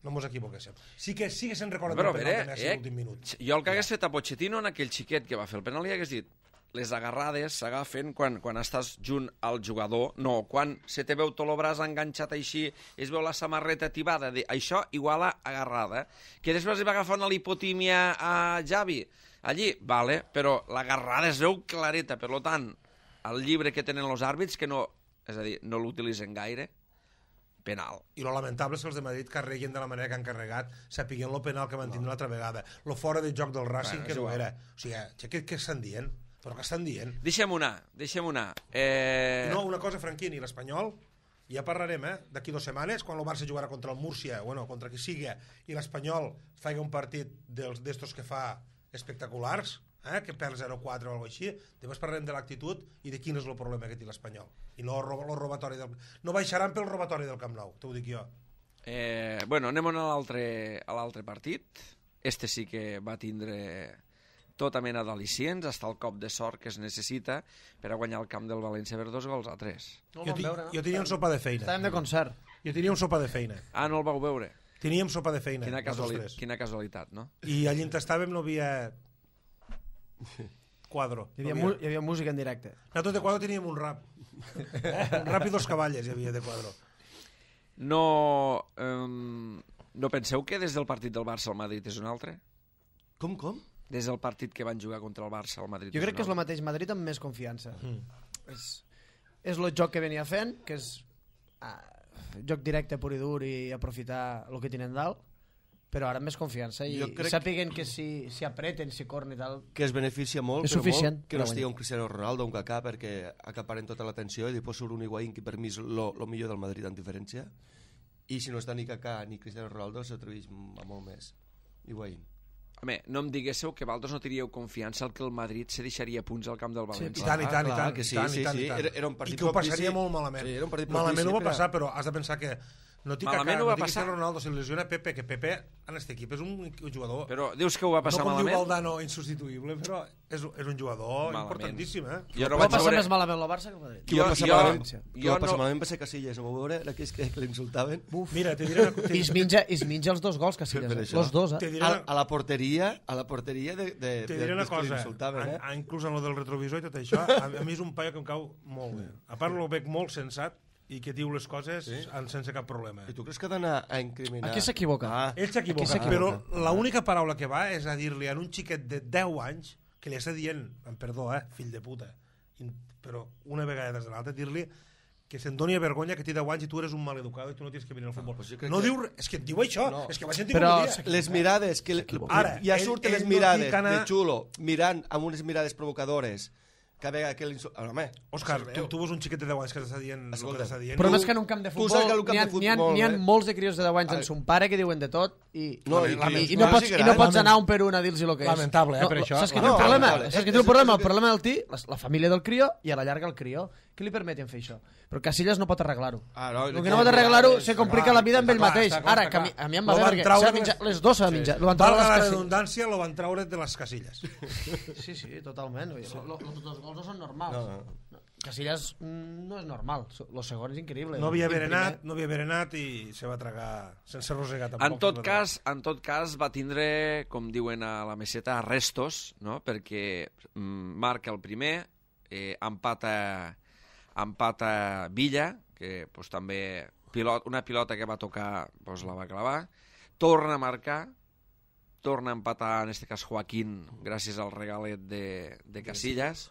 No mos equivoquéssim. Sí que se'n recorda Però, del penal de Messi a l'últim minut. jo el que hagués fet a Pochettino en aquell xiquet que va fer el penal li hagués dit les agarrades s'agafen quan estàs junt al jugador, no, quan se te veu tot el braç enganxat així, es veu la samarreta tibada, això igual a agarrada. Que després li va agafar una lipotímia a Xavi, allí, vale, però l'agarrada es veu clareta, per tant, el llibre que tenen els àrbits, que no, és a dir, no l'utilitzen gaire, penal. I lo lamentable és que els de Madrid carreguen de la manera que han carregat, sapiguent lo penal que van tindre l'altra vegada, lo fora de joc del Racing, que no era. O sigui, què estan dient? Però què estan dient? Deixem una. No, una cosa, Franquini, l'Espanyol, ja parlarem, d'aquí 2 setmanes, quan el Barça jugarà contra el Múrcia, bueno, contra qui sigui, i l'Espanyol faci un partit d'estos que fa espectaculars, que perd 0-4 o alguna cosa així, després parlarem de l'actitud i de quin és el problema que té l'Espanyol. I no el robatori del... No baixaran pel robatori del Camp Nou, t'ho dic jo. Bueno, anem a l'altre partit. Este sí que va tindre tota mena d'al·licients, hasta el cop de sort que es necessita per a guanyar el camp del València per 2-3. No el vam veure, no? Jo tenia un sopa de feina. Estàvem de concert. Jo tenia un sopa de feina. Ah, no el vau veure? Teníem sopa de feina. Quina casualitat, no? I allí on estàvem no havia quadro. Hi havia música en directe. Nosaltres de quadro teníem un rap. Un rap i 2 cavalles hi havia de quadro. No penseu que des del partit del Barça al Madrid és un altre? Com? Des del partit que van jugar contra el Barça al Madrid. Jo crec que és el mateix Madrid amb més confiança. És el joc que venia fent, que és joc directe pur i dur i aprofitar el que tenen dalt, però ara amb més confiança i sàpiguen que si apreten, si corren i tal... Que es beneficia molt, és suficient, molt, que no estigui un Cristiano Ronaldo o un Kaká perquè acaparen tota l'atenció i després surt un Higuaín que per mi és el millor del Madrid en diferència, i si no està ni Kaká ni Cristiano Ronaldo s'atreveix a molt més Higuaín. Home, no em diguéssiu que vosaltres no teníeu confiança al que el Madrid se deixaria punts al camp del València. I tant. Que sí. Era un partit i que ho passaria molt malament. Sí, malament ho va passar, però has de pensar que no té Kaká, no té passar. Cristiano Ronaldo, se lesiona Pepe, que Pepe en aquest equip és un jugador... Però dius que ho va passar malament? No com diu Valdano, insubstituïble, però és un jugador importantíssim, Jo no vaig passar més malament el Barça que el Madrid. Qui va passar malament va ser Casillas, no ho veure? Era aquells que l'insultaven. Mira, te diré... I es menja els 2 gols, Casillas. Els 2, A la porteria de te diré una cosa, inclús en lo del retrovisor i tot això, a mi és un paio que em cau molt bé. A part, lo veig molt sensat i que diu les coses sense cap problema. I tu creus que ha d'anar a incriminar? Aquí s'equivoca. Ell s'equivoca, però l'única paraula que va és a dir-li a un xiquet de 10 anys que li està dient, amb perdó, fill de puta, però una vegada des de l'altra, dir-li que se'n doni vergonya que té 10 anys i tu eres un maleducado i tu no tens que venir al futbol. No diu... És que et diu això, és que va sentir com un dia. Les mirades, ja surten les mirades de xulo, mirant amb unes mirades provocadores, que vega que home, Òscar, tu veus un xiquet de 10 anys que t'està dient el que t'està dient. Però és que en un camp de futbol n'hi ha molts de crios de 10 anys en son pare que diuen de tot i no pots anar un per un a dir-los el que és. Lamentable, per això. Saps que té un problema? Saps que té un problema? El problema del tio, la família del crió i a la llarga el crió. Què li permeten fer això? Però Casillas no pot arreglar-ho. El que no pot arreglar-ho se complica la vida amb ell mateix. Ara, que a mi em va bé perquè les dos s'ha menjat. Valga la redundància, lo van treure de les casilles. Sí, totalment. Els 2 gols no són normals. Casillas no és normal. El segon és increïble. No havia berenat i se va tragar sense rosegar tampoc. En tot cas va tindre, com diuen a la meseta, arrestos, no? Perquè marca el primer, empata Villa, que també una pilota que va tocar la va clavar, torna a marcar, torna a empatar en aquest cas Joaquín gràcies al regalet de Casillas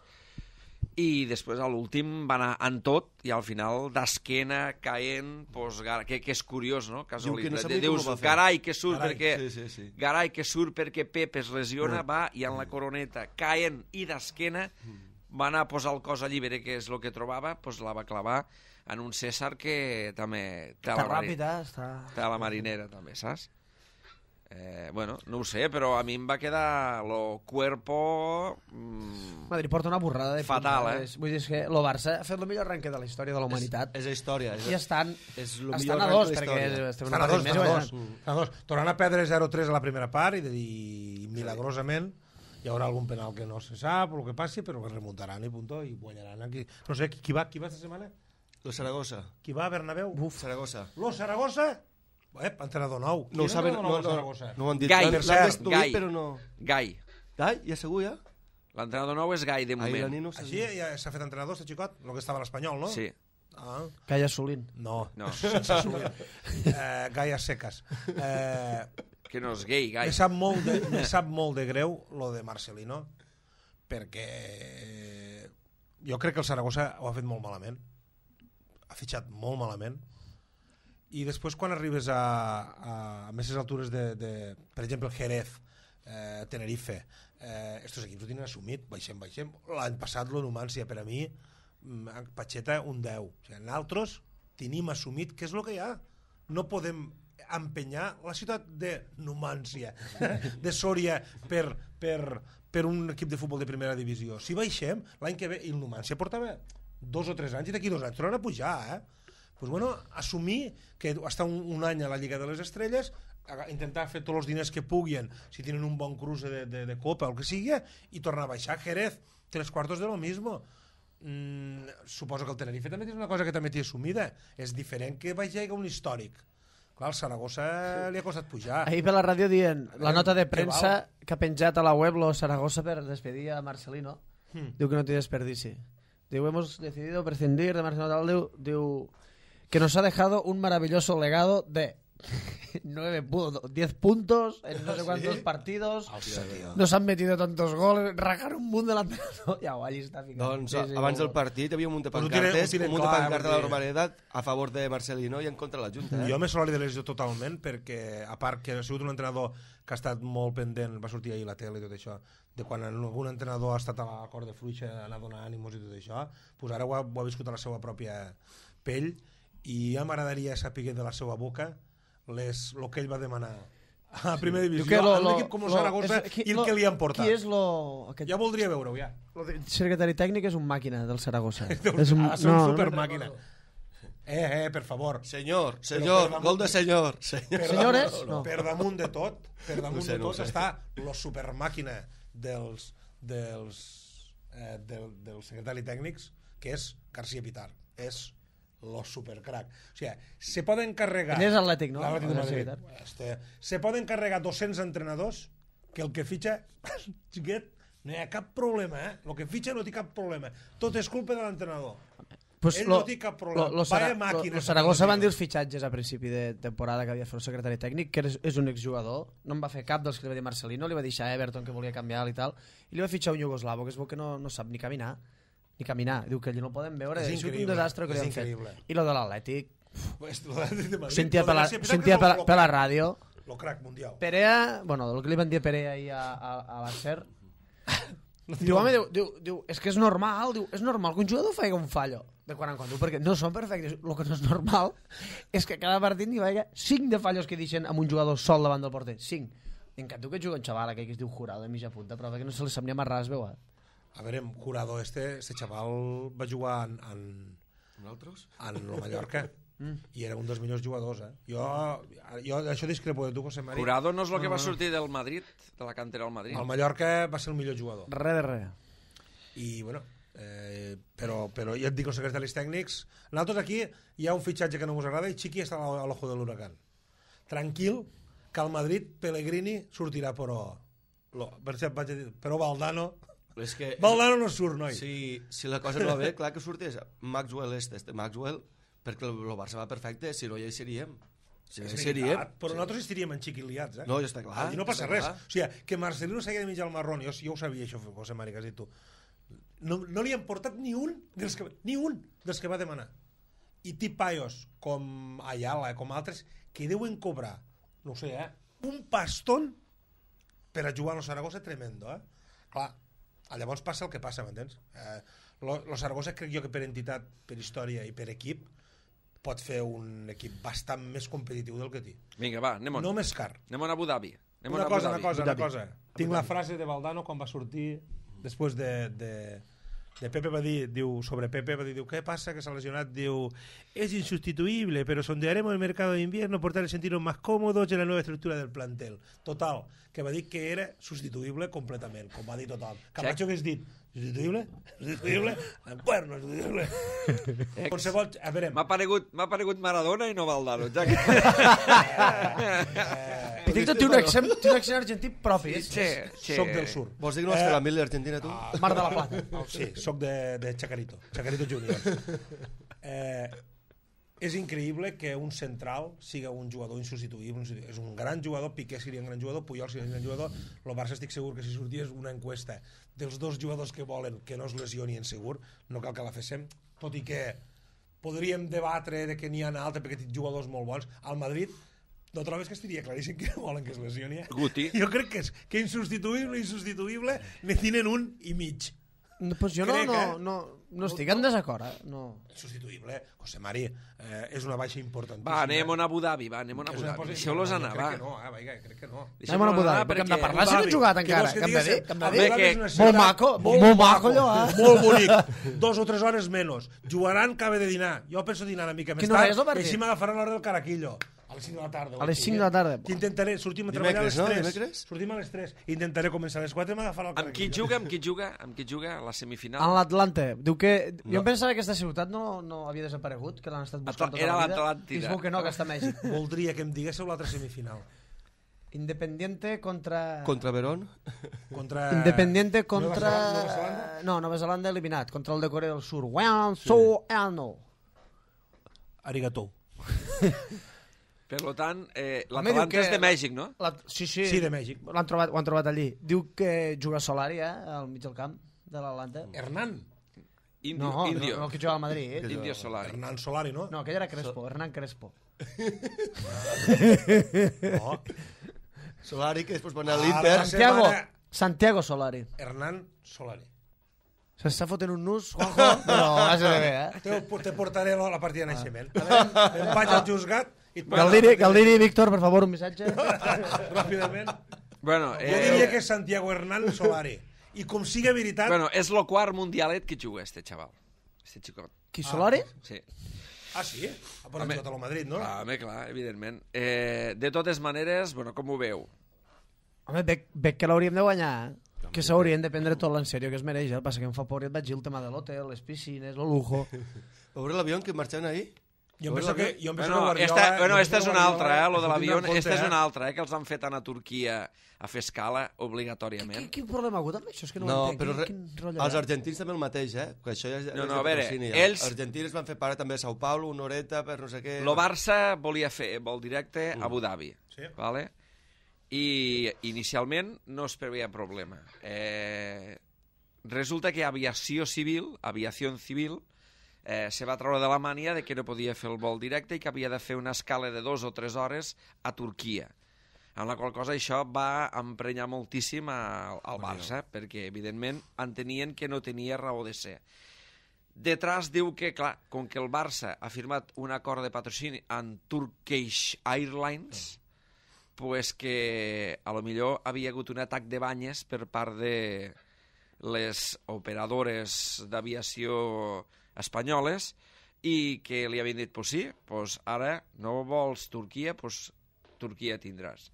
i després a l'últim va anar en tot i al final d'esquena caent pues, que és curiós, no? Dius, carai que surt perquè Pep es lesiona, va i en la coroneta caient i d'esquena va anar a posar el cos a llibre, que és el que trobava, pues la va clavar en un César que també té la marinera també, saps? Bueno, no ho sé, però a mi em va quedar lo cuerpo... Madrid porta una borrada de fatal, Vull dir que el Barça ha fet el millor arranque de la història de la humanitat. És la història. I estan a dos, perquè estem a dos. Tornant a perdre 0-3 a la primera part i milagrosament hi haurà algun penal que no se sap o el que passi, però que remuntaran i punto i guanyaran aquí. No sé, qui va esta setmana? Lo Saragossa. Qui va a Bernabéu? Saragossa. Lo Saragossa? Entrenador nou. No ho saben, no ho han dit. Gai. Però no... Gai, ja segur, ja? l'entrenador nou és Gai, de moment. Així ja s'ha fet entrenador, este xicot? El que estava a l'Espanyol, no? Sí. Gai Assolint. No. Sense Assolint. Gai a seques. Que no és gay, Gai. Me sap molt de greu lo de Marcelino, perquè jo crec que el Saragossa ho ha fet molt malament. Ha fitxat molt malament. I després quan arribes a més altures de per exemple Jerez, Tenerife, estos equips ho tenen assumit, baixem. L'any passat lo Numancia, per a mi Pacheta un 10. O sigui, nosaltres tenim assumit què és el que hi ha. No podem empenyar la ciutat de Numancia, de Sòria, per un equip de futbol de primera divisió. Si baixem, l'any que ve, i el Numancia portava 2 o 3 anys i d'aquí 2 anys tornen a pujar, Pues bueno, assumir que està un any a la Lliga de les Estrelles, intentar fer tots els diners que puguin, si tenen un bon cruce de Copa o el que sigui, i tornar a baixar. Jerez, 3/4 de lo mismo. Suposo que el Tenerife també és una cosa que també té assumida. És diferent que vagi un històric. Clar, al Saragossa li ha costat pujar. Ahir per la ràdio dient la nota de premsa que ha penjat a la web lo Saragossa per despedir a Marcelino. Diu que no té desperdici. Diu, hemos decidido prescindir de Marcelino Tal. Diu que nos ha dejado un maravilloso legado de 10 puntos en no sé cuántos partidos. Nos han metido tantos goles, rajar un munt de l'entrenador. Ja ho allí està ficant. Doncs abans del partit hi havia un munt de pancartes, un munt de pancartes de la normalitat a favor de Marcelino i en contra de la Junta. Jo me solidaritzo totalment perquè, a part que ha sigut un entrenador que ha estat molt pendent, va sortir ahir a la tele i tot això, de quan algun entrenador ha estat a la corda fluixa, anar a donar ànimos i tot això, doncs ara ho ha viscut a la seva pròpia pell i ja m'agradaria saber de la seva boca el que ell va demanar a primera divisió, a un equip com el Saragossa i el que li han portat. Qui és lo... Ja voldria veure-ho, ja. El secretari tècnic és un màquina del Saragossa. És un supermàquina. Per favor. Senyor, gol de senyor. Senyores? Per damunt de tot, està la supermàquina dels secretaris tècnics, que és García Pitar. És los supercrack. O sigui, se poden carregar... Ell és atlètic, no? Se poden carregar 200 entrenadors que el que fitxa, xiquet, no hi ha cap problema, El que fitxa no té cap problema. Tot és culpa de l'entrenador. Ell no té cap problema. Vaya màquina. Los Saragossa van dir els fitxatges a principi de temporada que havia fet el secretari tècnic, que és un exjugador, no en va fer cap dels que li va dir Marcelino, li va deixar Everton que volia canviar i tal, i li va fitxar un iugoslavo que es veu que no sap ni caminar. Diu que allí no poden veure, és un desastre que li han fet. I lo de l'Atlètic, sentia per la ràdio, el crack mundial. Perea, bueno, el que li van dir a Perea ahir a l'Acer, diu, home, és que és normal, és normal que un jugador faci un fallo de quan en quan, perquè no són perfectes. El que no és normal és que cada partit n'hi vagi 5 de fallos que deixen amb un jugador sol davant del porter, 5. En canvi que juga un xaval aquell que es diu Jurado de mitja punta, però que no se li sap ni amarrar es veu. A veure, Jurado, este xaval va jugar en el Mallorca i era un dels millors jugadors. Jo això discrepo de tu, José María. Jurado no és el que va sortir del Madrid, de la cantera del Madrid. El Mallorca va ser el millor jugador. Res. I, bueno, però ja et dic, els secretaris tècnics, nosaltres aquí hi ha un fitxatge que no us agrada i Chiqui està a l'ojo de l'huracán. Tranquil, que al Madrid Pellegrini sortirà, però Valdano... Valdano no surt, noi. Si la cosa no va bé, clar que sortés Maxwell Maxwell, perquè el Barça va perfecte, si no ja hi seríem. Però nosaltres estaríem en xiqui liats, No, ja està clar. I no passa res. O sigui, que Marcelino s'hagi de menjar el marrón, jo ho sabia, això, José María, que has dit tu. no li han portat ni un dels que va demanar. I tipaios com Ayala, com altres, que deuen cobrar, no ho sé, un pastón per a jugar a Saragossa tremendo, Clar, llavors passa el que passa, m'entens? Lo Saragossa crec jo que per entitat, per història i per equip pot fer un equip bastant més competitiu del que té. Vinga, va, anem-on. No més car. Anem a Abu Dhabi. Una cosa. Tinc la frase de Valdano quan va sortir després de Pepe va dir, diu, sobre Pepe va dir, diu, ¿qué pasa que se ha lesionado? Diu, es insustituible, pero sondearemos el mercado de invierno por tal de sentirnos más cómodos en la nueva estructura del plantel. Total, que va dir que era substituïble completament, com va dir total. Camacho que has dit, substituïble? Substituïble? Bueno, substituïble. Qualsevol... A veure... M'ha paregut Maradona i no Valdano. Ja que... Pitito té un accent argentí propi. Soc del sur. Vols dir que no has fet la mil d'Argentina, tu? Mar de la Plata. Sí, soc de Chacarito Junior. És increïble que un central siga un jugador insubstituïble. És un gran jugador, Piqué seria un gran jugador, Puyol seria un gran jugador. El Barça estic segur que si sortís una encuesta dels dos jugadors que volen que no es lesionien segur, no cal que la féssim, tot i que podríem debatre de que n'hi ha altres perquè tenen jugadors molt bons. Al Madrid no trobes que estaria claríssim que volen que es lesioni? Guti. Jo crec que insubstituïble ne tenen un i mig. Pues jo no estic en desacord. No. Substituïble, José Mari, és una baixa importantíssima. Va, anem a Abu Dhabi, Deixeu-los anar, va. Crec que no. Anem a Abu Dhabi, perquè hem de parlar si no hem jugat encara. Què vols que digues? Molt maco, allò, Molt bonic. 2 o 3 hores menys. Jugaran, cabe de dinar. Jo penso dinar una mica més tard, i així m'agafaran l'hora del Caraquillo. A les 5 de la tarda. A les 5 de la tarda. Intentaré, sortim a treballar a les 3. Dimecres? Sortim a les 3. Intentaré començar a les 4 i m'agafar el Caraquillo. Amb qui juga a la semifinal? En l'Atlante. Diu que... Jo em pensava que aquesta ciutat no havia desaparegut, que l'han estat buscant tota Era la vida. l'Atlàntida. Diu que no, que està a Mèxic. Voldria que em diguéssiu l'altra semifinal. Independiente contra... Contra Verón? Independiente contra... Nova Zelanda? No, Nova Zelanda eliminat. Contra el de Corea del Sur. Arigato. Per tant, l'Atlanta és de Mèxic, no? Sí, Sí, de Mèxic. ho han trobat allí. Diu que juga Solari, al mig del camp de l'Atlanta. Hernán. No, Indio. el que juga al Madrid. Indio Solari. Hernán Solari, no? No, aquell era Crespo, Hernán Crespo. No. Solari, que després va anar a l'Inter. Santiago Solari. Hernán Solari. S'està fotent un nus, Juanjo, però has de bé, Te portaré la partida de naixement. Vaig al juzgat i... Galdiri, Víctor, per favor, un missatge. Ràpidament. Bueno, Jo diria que és Santiago Hernán Solari. I com siga veritat... Bueno, és el quart mundialet que juga este xaval. Este xicot. Qui, Solari? Sí. Ah, sí? Ha jugat a lo Madrid, no? Home, clar, evidentment. De totes maneres, bueno, com ho veu? Home, veig que l'hauríem de guanyar, que s'haurien de prendre tot l'en sèrio que es mereix. El passa que em fa por i et vaig dir el tema de l'hotel, les piscines, el lujo... Veure l'avió en què marxaven ahir? Jo penso que Esta és una altra, lo de l'avió. Esta és una altra, que els han fet anar a Turquia a fer escala obligatòriament. Quin problema ha hagut amb això? És que no No, ho entenc. però els argentins també el mateix, Que això ja No, a veure, els argentins van fer parar també a Sao Paulo, una horeta per no sé què... Lo Barça volia fer vol directe a Abu Dhabi, Sí. vale? I inicialment no es preveia problema. Resulta que aviació civil se va treure de la mania de que no podia fer el vol directe i que havia de fer una escala de 2 o 3 hores a Turquia. Amb la qual cosa això va emprenyar moltíssim al Barça, perquè evidentment entenien que no tenia raó de ser. Detrás diu que, clar, com que el Barça ha firmat un acord de patrocini amb Turkish Airlines, pues que a lo millor havia hagut un atac de banyes per part de les operadores d'aviació espanyoles i que li havien dit, pues sí, pues ara no vols Turquia, pues Turquia tindràs.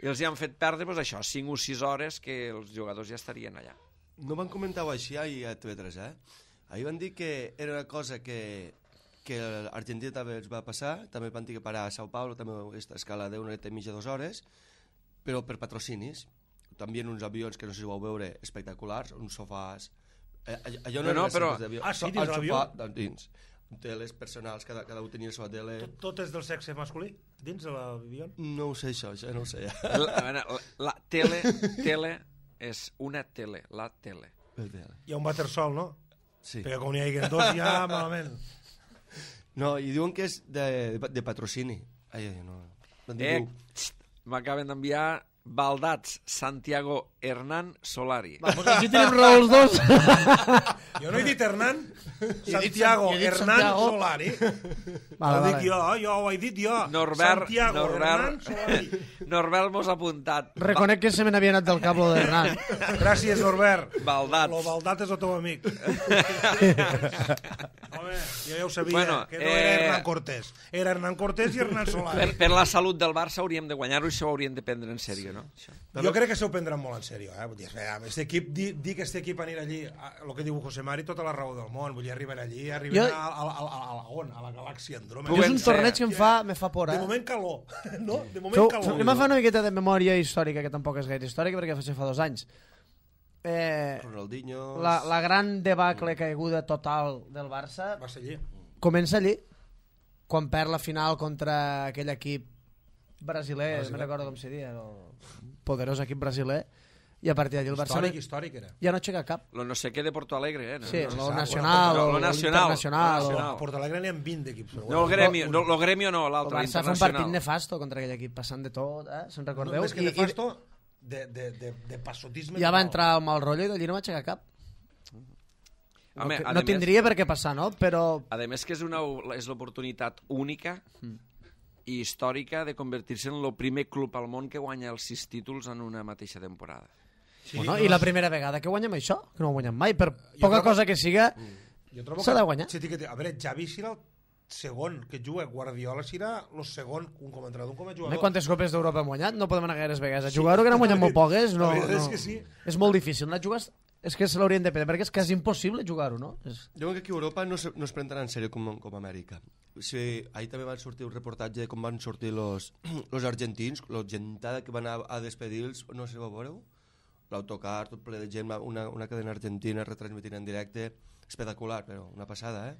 I els hi han fet perdre, pues això, 5 o 6 hores que els jugadors ja estarien allà. No van comentar-ho així ahir a TV3, Ahir van dir que era una cosa que l'Argentina també els va passar, també van dir que parar a Sao Paulo, també aquesta escala d'una horeta i mitja, 2 hores, però per patrocinis. També en uns avions que no sé si ho vau veure, espectaculars, uns sofàs... Allò no, però... Ah, sí, dins l'avió? Dins. Teles personals, cada un tenia la seva tele... Tot és del sexe masculí, dins de l'avió? No ho sé, això no ho sé. La tele és una tele, la tele. Hi ha un bater-sol, no? Sí. Perquè com n'hi hagi dos ja malament. No, i diuen que és de patrocini. Ai, no. M'acaben d'enviar Baldats, Santiago, Hernán, Solari. Vamos, aquí tenim raó els dos. Jo no he dit Hernán, Santiago, Hernán, Solari. Ho dic jo ho he dit jo. Santiago, Hernán, Solari. Norbert mos ha apuntat. Reconec que se me n'havia anat del cap lo d'Hernán. Gràcies, Norbert. Baldats. Lo Baldat és el teu amic. Home, jo ja ho sabia, que no era Hernán Cortés. Era Hernán Cortés i Hernán Solari. Per la salut del Barça hauríem de guanyar-ho i això ho hauríem de prendre en sèrio, no? Jo crec que s'ho prendran molt en sèrio. Vull dir, dir que este equip anirà allí, el que diu José Mari, tota la raó del món. Vull dir, arribar allí, a la galàxia Andròmeda. És un torneig que me fa por, De moment calor. No? De moment calor. Anem a fer una miqueta de memòria històrica, que tampoc és gaire històrica, perquè fa 2 anys. Ronaldinho... La gran debacle caiguda total del Barça va ser allí. Comença allí, quan perd la final contra aquell equip brasiler, no recordo com se dia, el poderós equip brasiler, i a partir d'allí el Barça Històric era. ja no aixeca cap. Lo no sé què de Porto Alegre, eh? Sí, lo nacional, lo internacional. A Porto Alegre n'hi ha 20 equips. No, el Gremio no, el l'altre, Barça fa un partit nefasto contra aquell equip, passant de tot, se'n recordeu? Més que nefasto, de passotisme. Ja va entrar el mal rotllo i d'allí no va aixecar cap. Home, No tindria per què passar, no? Però... A més que és l'oportunitat única i històrica de convertir-se en el primer club al món que guanya els 6 títols en una mateixa temporada. Sí, bueno, i la primera vegada que guanyem això, que no ho guanyem mai, per poca cosa que siga, s'ha de guanyar. A veure, Xavi serà el segon que juga, Guardiola serà el segon, un com a entrenador, un com a jugador. Quantes copes d'Europa hem guanyat? No podem anar gaires vegades a jugar-ho, que n'hem guanyat molt poques. No. És que sí. És molt difícil anar a jugar, és que se l'haurien de prendre, perquè és quasi impossible jugar-ho, no? Jo crec que aquí a Europa no es prendran en sèrio com a Amèrica. Sí, ahir també van sortir un reportatge de com van sortir los argentins, la gentada que van a despedir-los, no sé si ho veureu? L'autocar, tot ple de gent, una cadena argentina retransmitint en directe, espectacular, però una passada,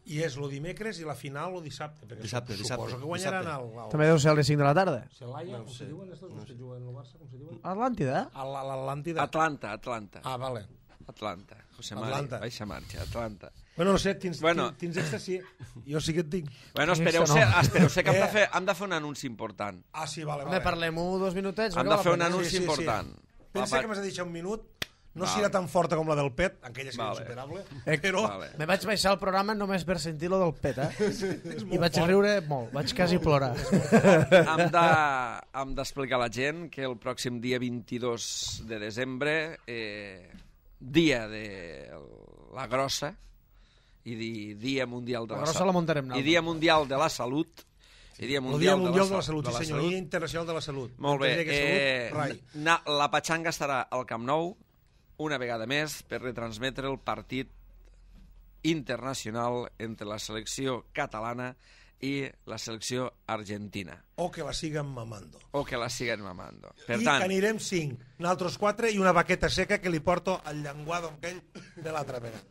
I és el dimecres i la final el dissabte. Dissabte. Suposo que guanyaran el... També deu ser a les 5 de la tarda. Celaya, com se diuen estos, que juguen al Barça, com se diuen? Atlàntida. L'Atlàntida. Atlanta. Ah, vale. Atlanta. José Mari, baixa marxa, Atlanta. Bueno, no sé, tins extra sí. Jo sí que et dic. Bueno, espereu-se que hem de fer un anunci important. Ah, sí, vale. Home, parlem-ho 2 minutets. Hem de fer un anunci important. Pensa que m'has de deixar un minut. No serà tan forta com la del Pet, aquella és insuperable, però... Me vaig baixar el programa només per sentir lo del Pet, I vaig riure molt, vaig quasi plorar. Hem d'explicar a la gent que el pròxim dia 22 de desembre, dia de la grossa, i dia mundial de la salut, i dia mundial de la salut, el Dia Mundial de la Salut, sí senyor, Dia Internacional de la Salut. Molt bé, la Patxanga estarà al Camp Nou, una vegada més, per retransmetre el partit internacional entre la selecció catalana i la selecció argentina. O que la siguen mamando. Per I tant, que anirem 5, nosaltres 4 i una baqueta seca que li porto al llenguado aquell de l'altra vegada.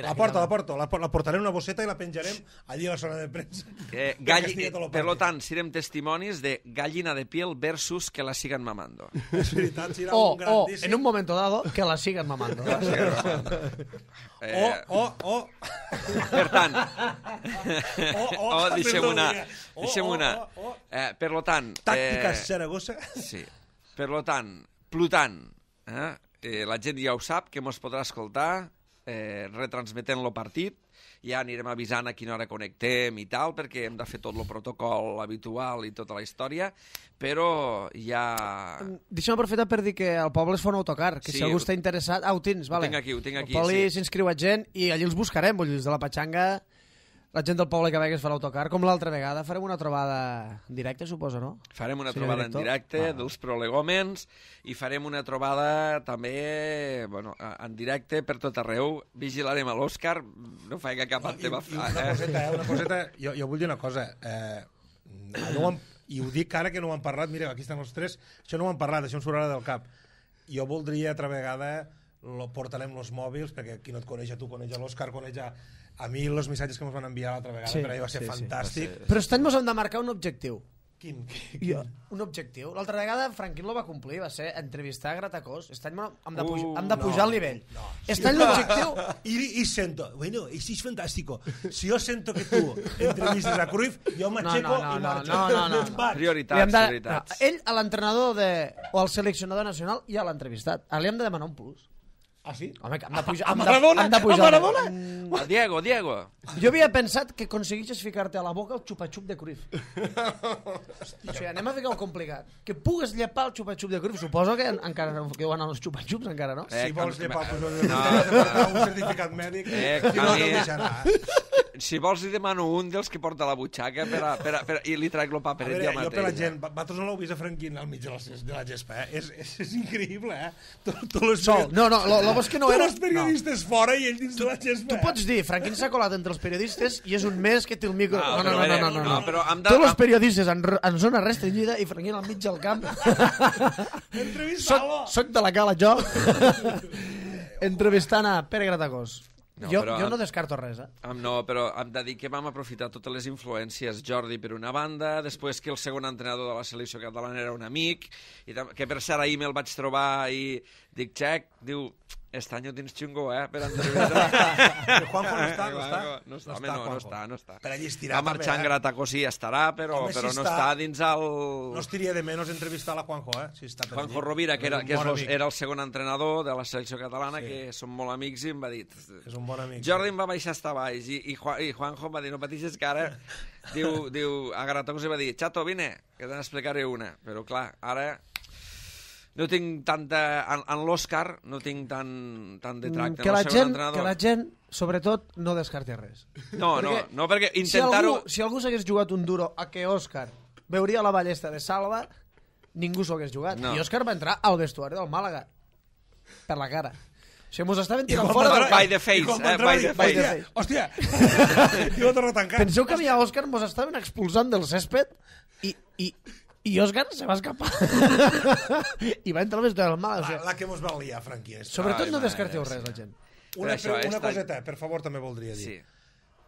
La portarem en una bosseta i la penjarem allí a la zona de premsa. Per tant, serem testimonis de gallina de piel versus que la siguen mamando. És veritat, serà un grandíssim... en un momento dado, que la siguen mamando. Per tant, deixem una. Per tant... Tàctica Saragossa. Sí. Per tant, Plutant, la gent ja ho sap, que mos podrà escoltar retransmetent el partit, ja anirem avisant a quina hora connectem i tal, perquè hem de fer tot el protocol habitual i tota la història, però ja... Deixa'm aprofitar per dir que al poble es fa un autocar, que si algú està interessat... Ho tens, vale. Ho tinc aquí. Al poble s'inscriu a gent i allí els buscarem, vull dir, els de la Patxanga... La gent del poble que ve que es fa l'autocar, com l'altra vegada, farem una trobada en directe, suposo, no? Farem una trobada en directe dels prolegòmens i farem una trobada també en directe per tot arreu. Vigilarem a l'Òscar, no faig cap altre va fer. Una coseta, jo vull dir una cosa. I ho dic ara que no ho han parlat, mira, aquí estan els 3, això no ho han parlat, això em sortirà del cap. Jo voldria altra vegada portarem els mòbils, perquè qui no et coneix a tu, coneix a l'Òscar, coneix a mi els missatges que ens van enviar l'altra vegada, per ahir va ser fantàstic. Però aquest any ens hem de marcar un objectiu. Un objectiu. L'altra vegada Franquín lo va complir, va ser entrevistar Gratacós. Aquest any hem de pujar el nivell. Aquest any l'objectiu... Y siento, bueno, eso es fantástico. Si yo siento que tú entrevistes a Cruyff, yo m'aixeco i marxo. No. Prioritats. Ell, a l'entrenador o al seleccionador nacional, ja l'ha entrevistat. Ara li hem de demanar un plus. Ah, sí? Home, que hem de pujar... A Maradona? A Maradona? A Diego. Jo havia pensat que aconsegueixes ficar-te a la boca el xupa-xup de Cruyff. O sigui, anem a ficar-ho complicat. Que pugues llepar el xupa-xup de Cruyff. Suposo que encara no que van els xupa-xups, encara, no? Si vols llepar, un certificat mèdic, no te'l deixarà. Si vols li demano un dels que porta la butxaca i li traic el paperet jo mateix. Jo per la gent, vosaltres no l'heu vist a Franquín al mig de la gespa, és increïble, No, lo bo és que no era... Tots els periodistes fora i ell dins de la gespa. Tu pots dir, Franquín s'ha colat entre els periodistes i és un mes que té el micro... No. Tots els periodistes en zona restringida i Franquín al mig del camp. Entrevista-lo. Soc de la cala, jo. Entrevistant a Pere Gratacós. Jo no descarto res, No, però hem de dir que vam aprofitar totes les influències. Jordi per una banda, després que el segon entrenador de la selecció catalana era un amic, que per cert ahir me'l vaig trobar i dic, Xec, diu, este any ho tens xungo, per entrevistar. Juanjo no està. No està. Per allí estirar va marxar en Gratacós, sí, estarà, però no està dins el... No estiria de menys entrevistar la Juanjo, si està per allí. Juanjo Rovira, que era el segon entrenador de la selecció catalana, que som molt amics, i em va dir... És un bon amic. Jordi em va baixar hasta baix, i Juanjo em va dir, no pateixes que ara... Diu, a Gratacós va dir, Chato, vine, que te n'explicaré una. Però clar, ara... No tinc tanta... En l'Òscar no tinc tant de tracte. Que la gent, sobretot, no descarti res. No, perquè intentar-ho... Si algú s'hagués jugat un duro a que Òscar veuria la ballesta de Salva, ningú s'ho hagués jugat. I Òscar va entrar al vestuari del Màlaga. Per la cara. O sigui, mos estaven tirant fora del... By the face. Hòstia! I ho torno a tancar. Penseu que a mi a Òscar mos estaven expulsant del césped i Òscar se va escapar. I va entrar al vestuari del Màlaga. La que mos va liar, Franqui. Sobretot no descarteu res, la gent. Una coseta, per favor, també voldria dir. Sí.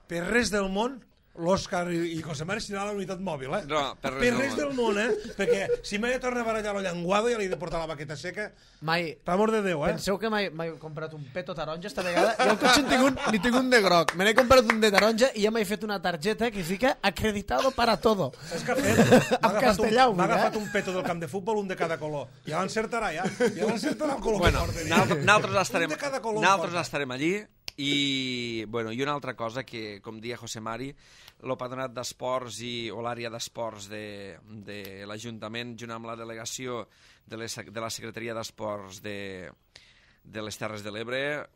Per res del món, l'Òscar i José Mari anirà a la unitat mòbil, No, per res del món, perquè si mai torna a barallar la llenguada ja li he de portar la baqueta seca. Mai. Per amor de Déu, Penseu que mai he comprat un peto taronja esta vegada i al cotxe n'hi tinc un de groc. Me n'he comprat un de taronja i ja m'he fet una targeta que fica acreditado para todo. Saps què ha fet? En castellà, m'ha agafat un peto del camp de futbol, un de cada color. Ja l'encertarà, ja. Ja l'encertarà el color bueno, que porta. Nosaltres estarem allí. I una altra cosa que, com dia José Mari, el Patronat d'Esports o l'àrea d'esports de l'Ajuntament, junt amb la delegació de la Secretaria d'Esports de les Terres de l'Ebre,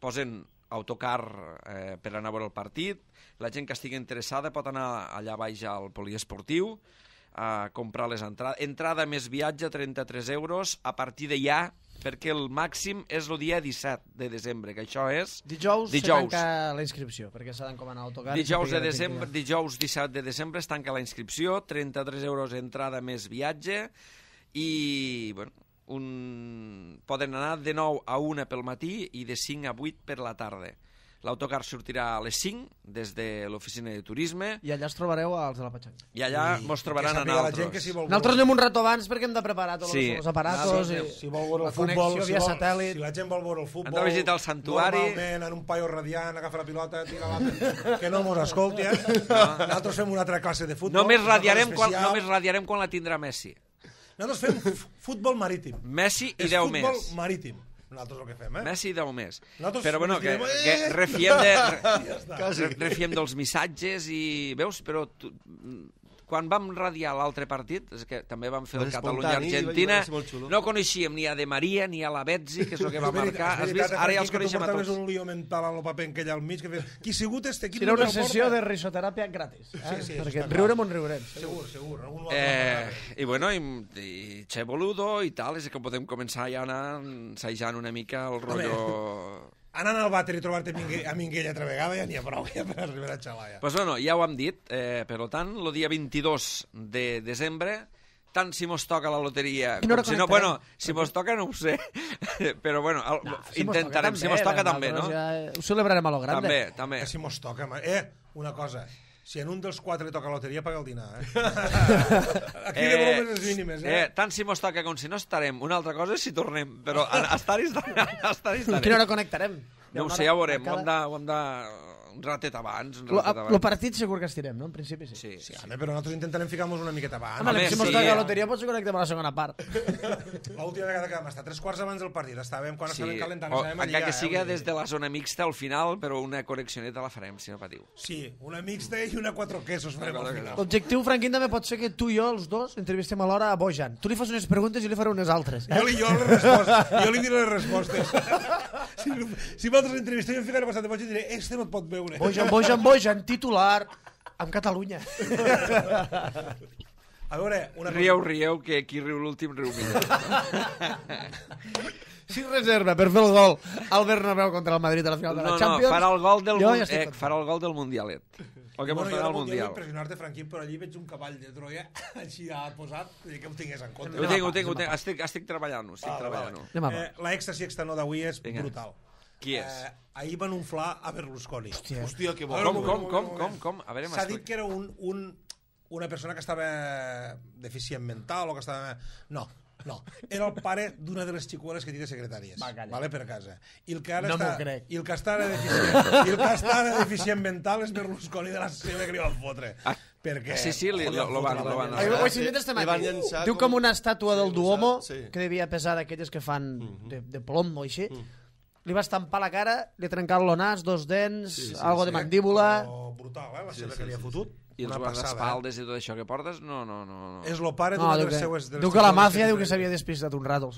posen autocar per anar a veure el partit. La gent que estigui interessada pot anar allà baix al poliesportiu a comprar les entrades. Entrada més viatge, 33 euros, a partir de ja, perquè el màxim és el dia 17 de desembre, que això és... Dijous se tanca la inscripció, perquè s'ha d'encomanar autocar. Dijous 17 de desembre es tanca la inscripció, 33 euros entrada més viatge, i poden anar de 9 a 1 pel matí i de 5 a 8 per la tarda. L'autocar sortirà a les 5 des de l'oficina de turisme. I allà es trobareu als de la Patxanga. I allà mos trobaran a nosaltres. Nosaltres anem un rato abans perquè hem de preparar tots els aparatos si vol veure el futbol, via satèl·lit. Si la gent vol veure el futbol, hem de visitar el santuari. Normalment en un paio radiant, agafa la pilota, tira que no mos escolti. Nosaltres fem una altra classe de futbol. Només radiarem quan la tindrà Messi. Nosaltres fem futbol marítim. Messi i 10 més. Futbol marítim. Nosaltres el que fem, Messi i 10 més. Però bueno, que refiem dels missatges i... Veus? Però quan vam radiar l'altre partit, és que també vam fer el Catalunya-Argentina, no coneixíem ni a De Maria ni a la Betzi, que és el que va marcar. Has vist? Ara ja els coneixem a tots. Un lío mental a lo paper en aquell al mig, que qui sigut este equip... Serà una sessió de risoteràpia gratis. Perquè riurem on riurem. Segur. I Che Boludo i tal, és que podem començar ja a anar ensajant una mica el rotllo... Anant al vàter i trobar-te a Minguella altra vegada ja n'hi ha prou, ja per arribar a xalar. Doncs ja ho hem dit, per tant, el dia 22 de desembre, tant si mos toca la loteria com si no, si mos toca no ho sé, però intentarem, si mos toca també, no? Ho celebrarem a lo grande. També. Si mos toca, una cosa, Si en un dels 4 li toca loteria, paga el dinar, Aquí de bromes les mínimes, Tant si mos toca com si no estarem. Una altra cosa és si tornem, però estar-hi estarem. Quina hora connectarem? No ho sé, ja ho veurem. Ho hem de... Un ratet abans. El partit segur que estirem, no? En principi sí. Sí, home, però nosaltres intentarem ficar-nos una miqueta abans. Home, si mos toca la loteria potser connectem a la segona part. L'última vegada que vam estar 3 quarts abans del partit, estàvem calentant. Encara que siga des de la zona mixta al final, però una connexioneta la farem, si no patiu. Sí, una mixta i una 4 quesos farem al final. L'objectiu, Franquín, també pot ser que tu i jo, els dos, entrevistem alhora a Bojan. Tu li fas unes preguntes i jo li faré unes altres. Jo li diré les respostes. Si vosaltres entrevisteu, jo em ficaré passat de Bojan i diré, este no et pot veure. Bojan, titular amb Catalunya. A veure, una cosa... Rieu, que qui riu l'últim riu millor. Si reserva per fer el gol al Bernabéu contra el Madrid a la final de la Champions... No, farà el gol del Mundialet. El que portarà al Mundial. Jo impressionar-te, Franquín, però allí veig un cavall de Troia així posat, que ho tingués en compte. Ho tinc. Estic treballant-ho. L'èxtasi externó d'avui és brutal. Qui és? Ahir van unflar a Berlusconi. Hòstia, que bo. Com? S'ha dit que era una persona que estava deficient mental o que estava... No. Era el pare d'una de les xicueles que té secretàries. Vale, per casa. I el que ara està ara deficient mental és Berlusconi de la seva que li van fotre. Perquè... Sí, lo van... Diu com una estàtua del Duomo, que devia pesar d'aquelles que fan de plom o així. Li va estampar la cara, li ha trencat el nas, 2 dents, algo de mandíbula... Brutal, la seva que li ha fotut. I els guardaespaldes i tot això que portes? No. És el pare d'una de les seues... Diu que la màfia diu que s'havia despistat un rato.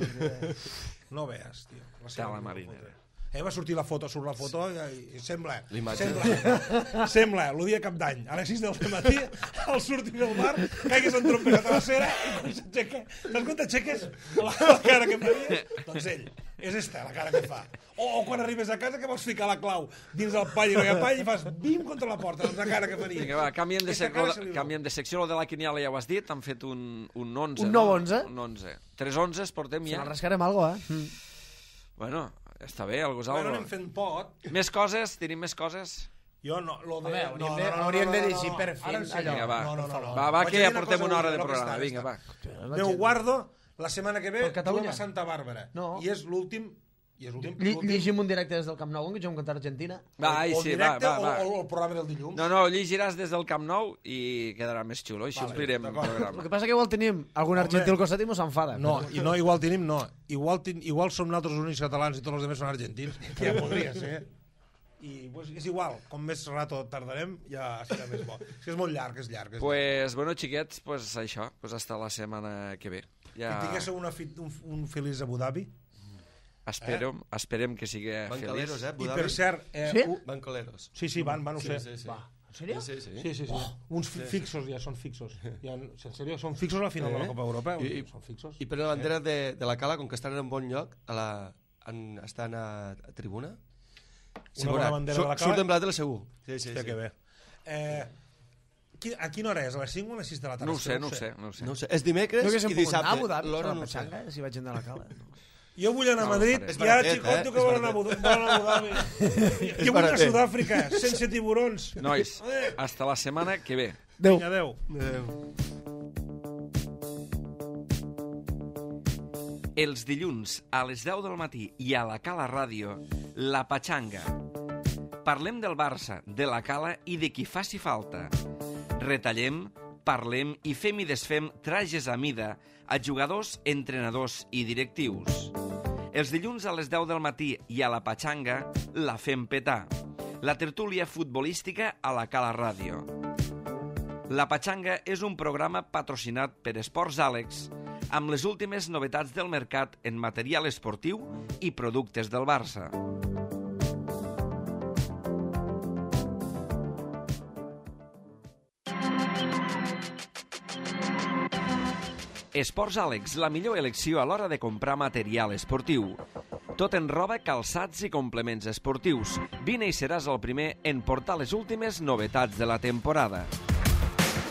No veus, tio. La marinera. Va sortir la foto, i sembla, el dia de Cap d'Any, a les 6 del matí, al sortir del bar, caigues en trompes a la cera i quan s'aixeca, saps quan t'aixeques la cara que faries? Doncs ell, és esta la cara que fa. O quan arribes a casa que vols ficar la clau dins del pall i no hi ha pall i fas bim contra la porta, doncs la cara que faries. Vinga, va, canviem de secció, lo de la quiniela ja ho has dit, han fet un 11. Un 9-11? Un 11. 3 11s portem ja. Se l'arrascarem algo, Bueno, està bé, algo és algo. Bueno, anem fent pot. Més coses? Tenim més coses? Jo no, hauríem de dir per fi. Vinga, va, que ja portem una hora de programa. Vinga, va. Déu guardo, la setmana que ve juguem a Santa Bàrbara. I és l'últim... Llegim un directe des del Camp Nou, que juguem contra Argentina. Va. O el programa del dilluns. No, llegiràs des del Camp Nou i quedarà més xulo. Així omplirem el programa. El que passa que igual tenim algun argentí al costat i mos s'enfada. No, igual tenim, no. Igual som nosaltres els únics catalans i tots els altres són argentins. Que ja podria ser. I és igual, com més rato tardarem, ja serà més bo. És molt llarg, és llarg. Bueno, xiquets, això. Hasta la setmana que ve. Que tinguéssiu un feliç Abu Dhabi. Esperem que sigui feliç. I per cert... Bancoleros. Sí, van, ho sé. En sèrio? Sí. Uns fixos ja, són fixos. En sèrio, són fixos a la final de la Copa Europa. Són fixos. I per la bandera de la Cala, com que estan en un bon lloc, estan a tribuna, una bona bandera de la Cala. Surten blat de la segur. Sí, que bé. A quina hora és? A les 5 o a les 6 de la tarda? No ho sé. És dimecres i dissabte. L'hora no ho sé. Si vaig anar a la Cala. Jo vull anar a Madrid i ara xicoto que vol anar a Abu Dhabi. Jo vull anar a Sud-àfrica, sense tiburons. Nois, hasta la setmana que ve. Adéu. Els dilluns a les 10 del matí i a la Cala Ràdio, La Patxanga. Parlem del Barça, de la Cala i de qui faci falta. Retallem, parlem i fem i desfem trajes a mida a jugadors, entrenadors i directius. Els dilluns a les 10 del matí i a la Patxanga la fem petar. La tertúlia futbolística a la Cala Ràdio. La Patxanga és un programa patrocinat per Esports Àlex amb les últimes novetats del mercat en material esportiu i productes del Barça. Esports Àlex, la millor elecció a l'hora de comprar material esportiu. Tot en roba, calçats i complements esportius. Vine i seràs el primer en portar les últimes novetats de la temporada.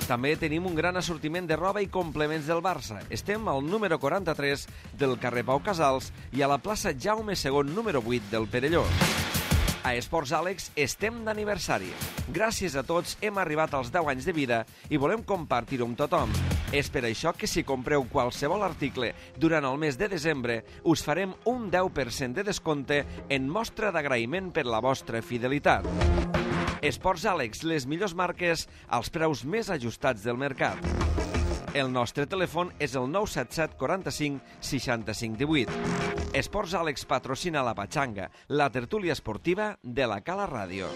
També tenim un gran assortiment de roba i complements del Barça. Estem al número 43 del carrer Pau Casals i a la plaça Jaume II, número 8 del Perelló. A Esports Àlex estem d'aniversari. Gràcies a tots hem arribat als 10 anys de vida i volem compartir-ho amb tothom. És per això que si compreu qualsevol article durant el mes de desembre, us farem un 10% de descompte en mostra d'agraïment per la vostra fidelitat. Esports Àlex, les millors marques als preus més ajustats del mercat. El nostre telèfon és el 977 45 65 18. Esports Àlex patrocina la Patxanga, la tertúlia esportiva de la Cala Ràdio.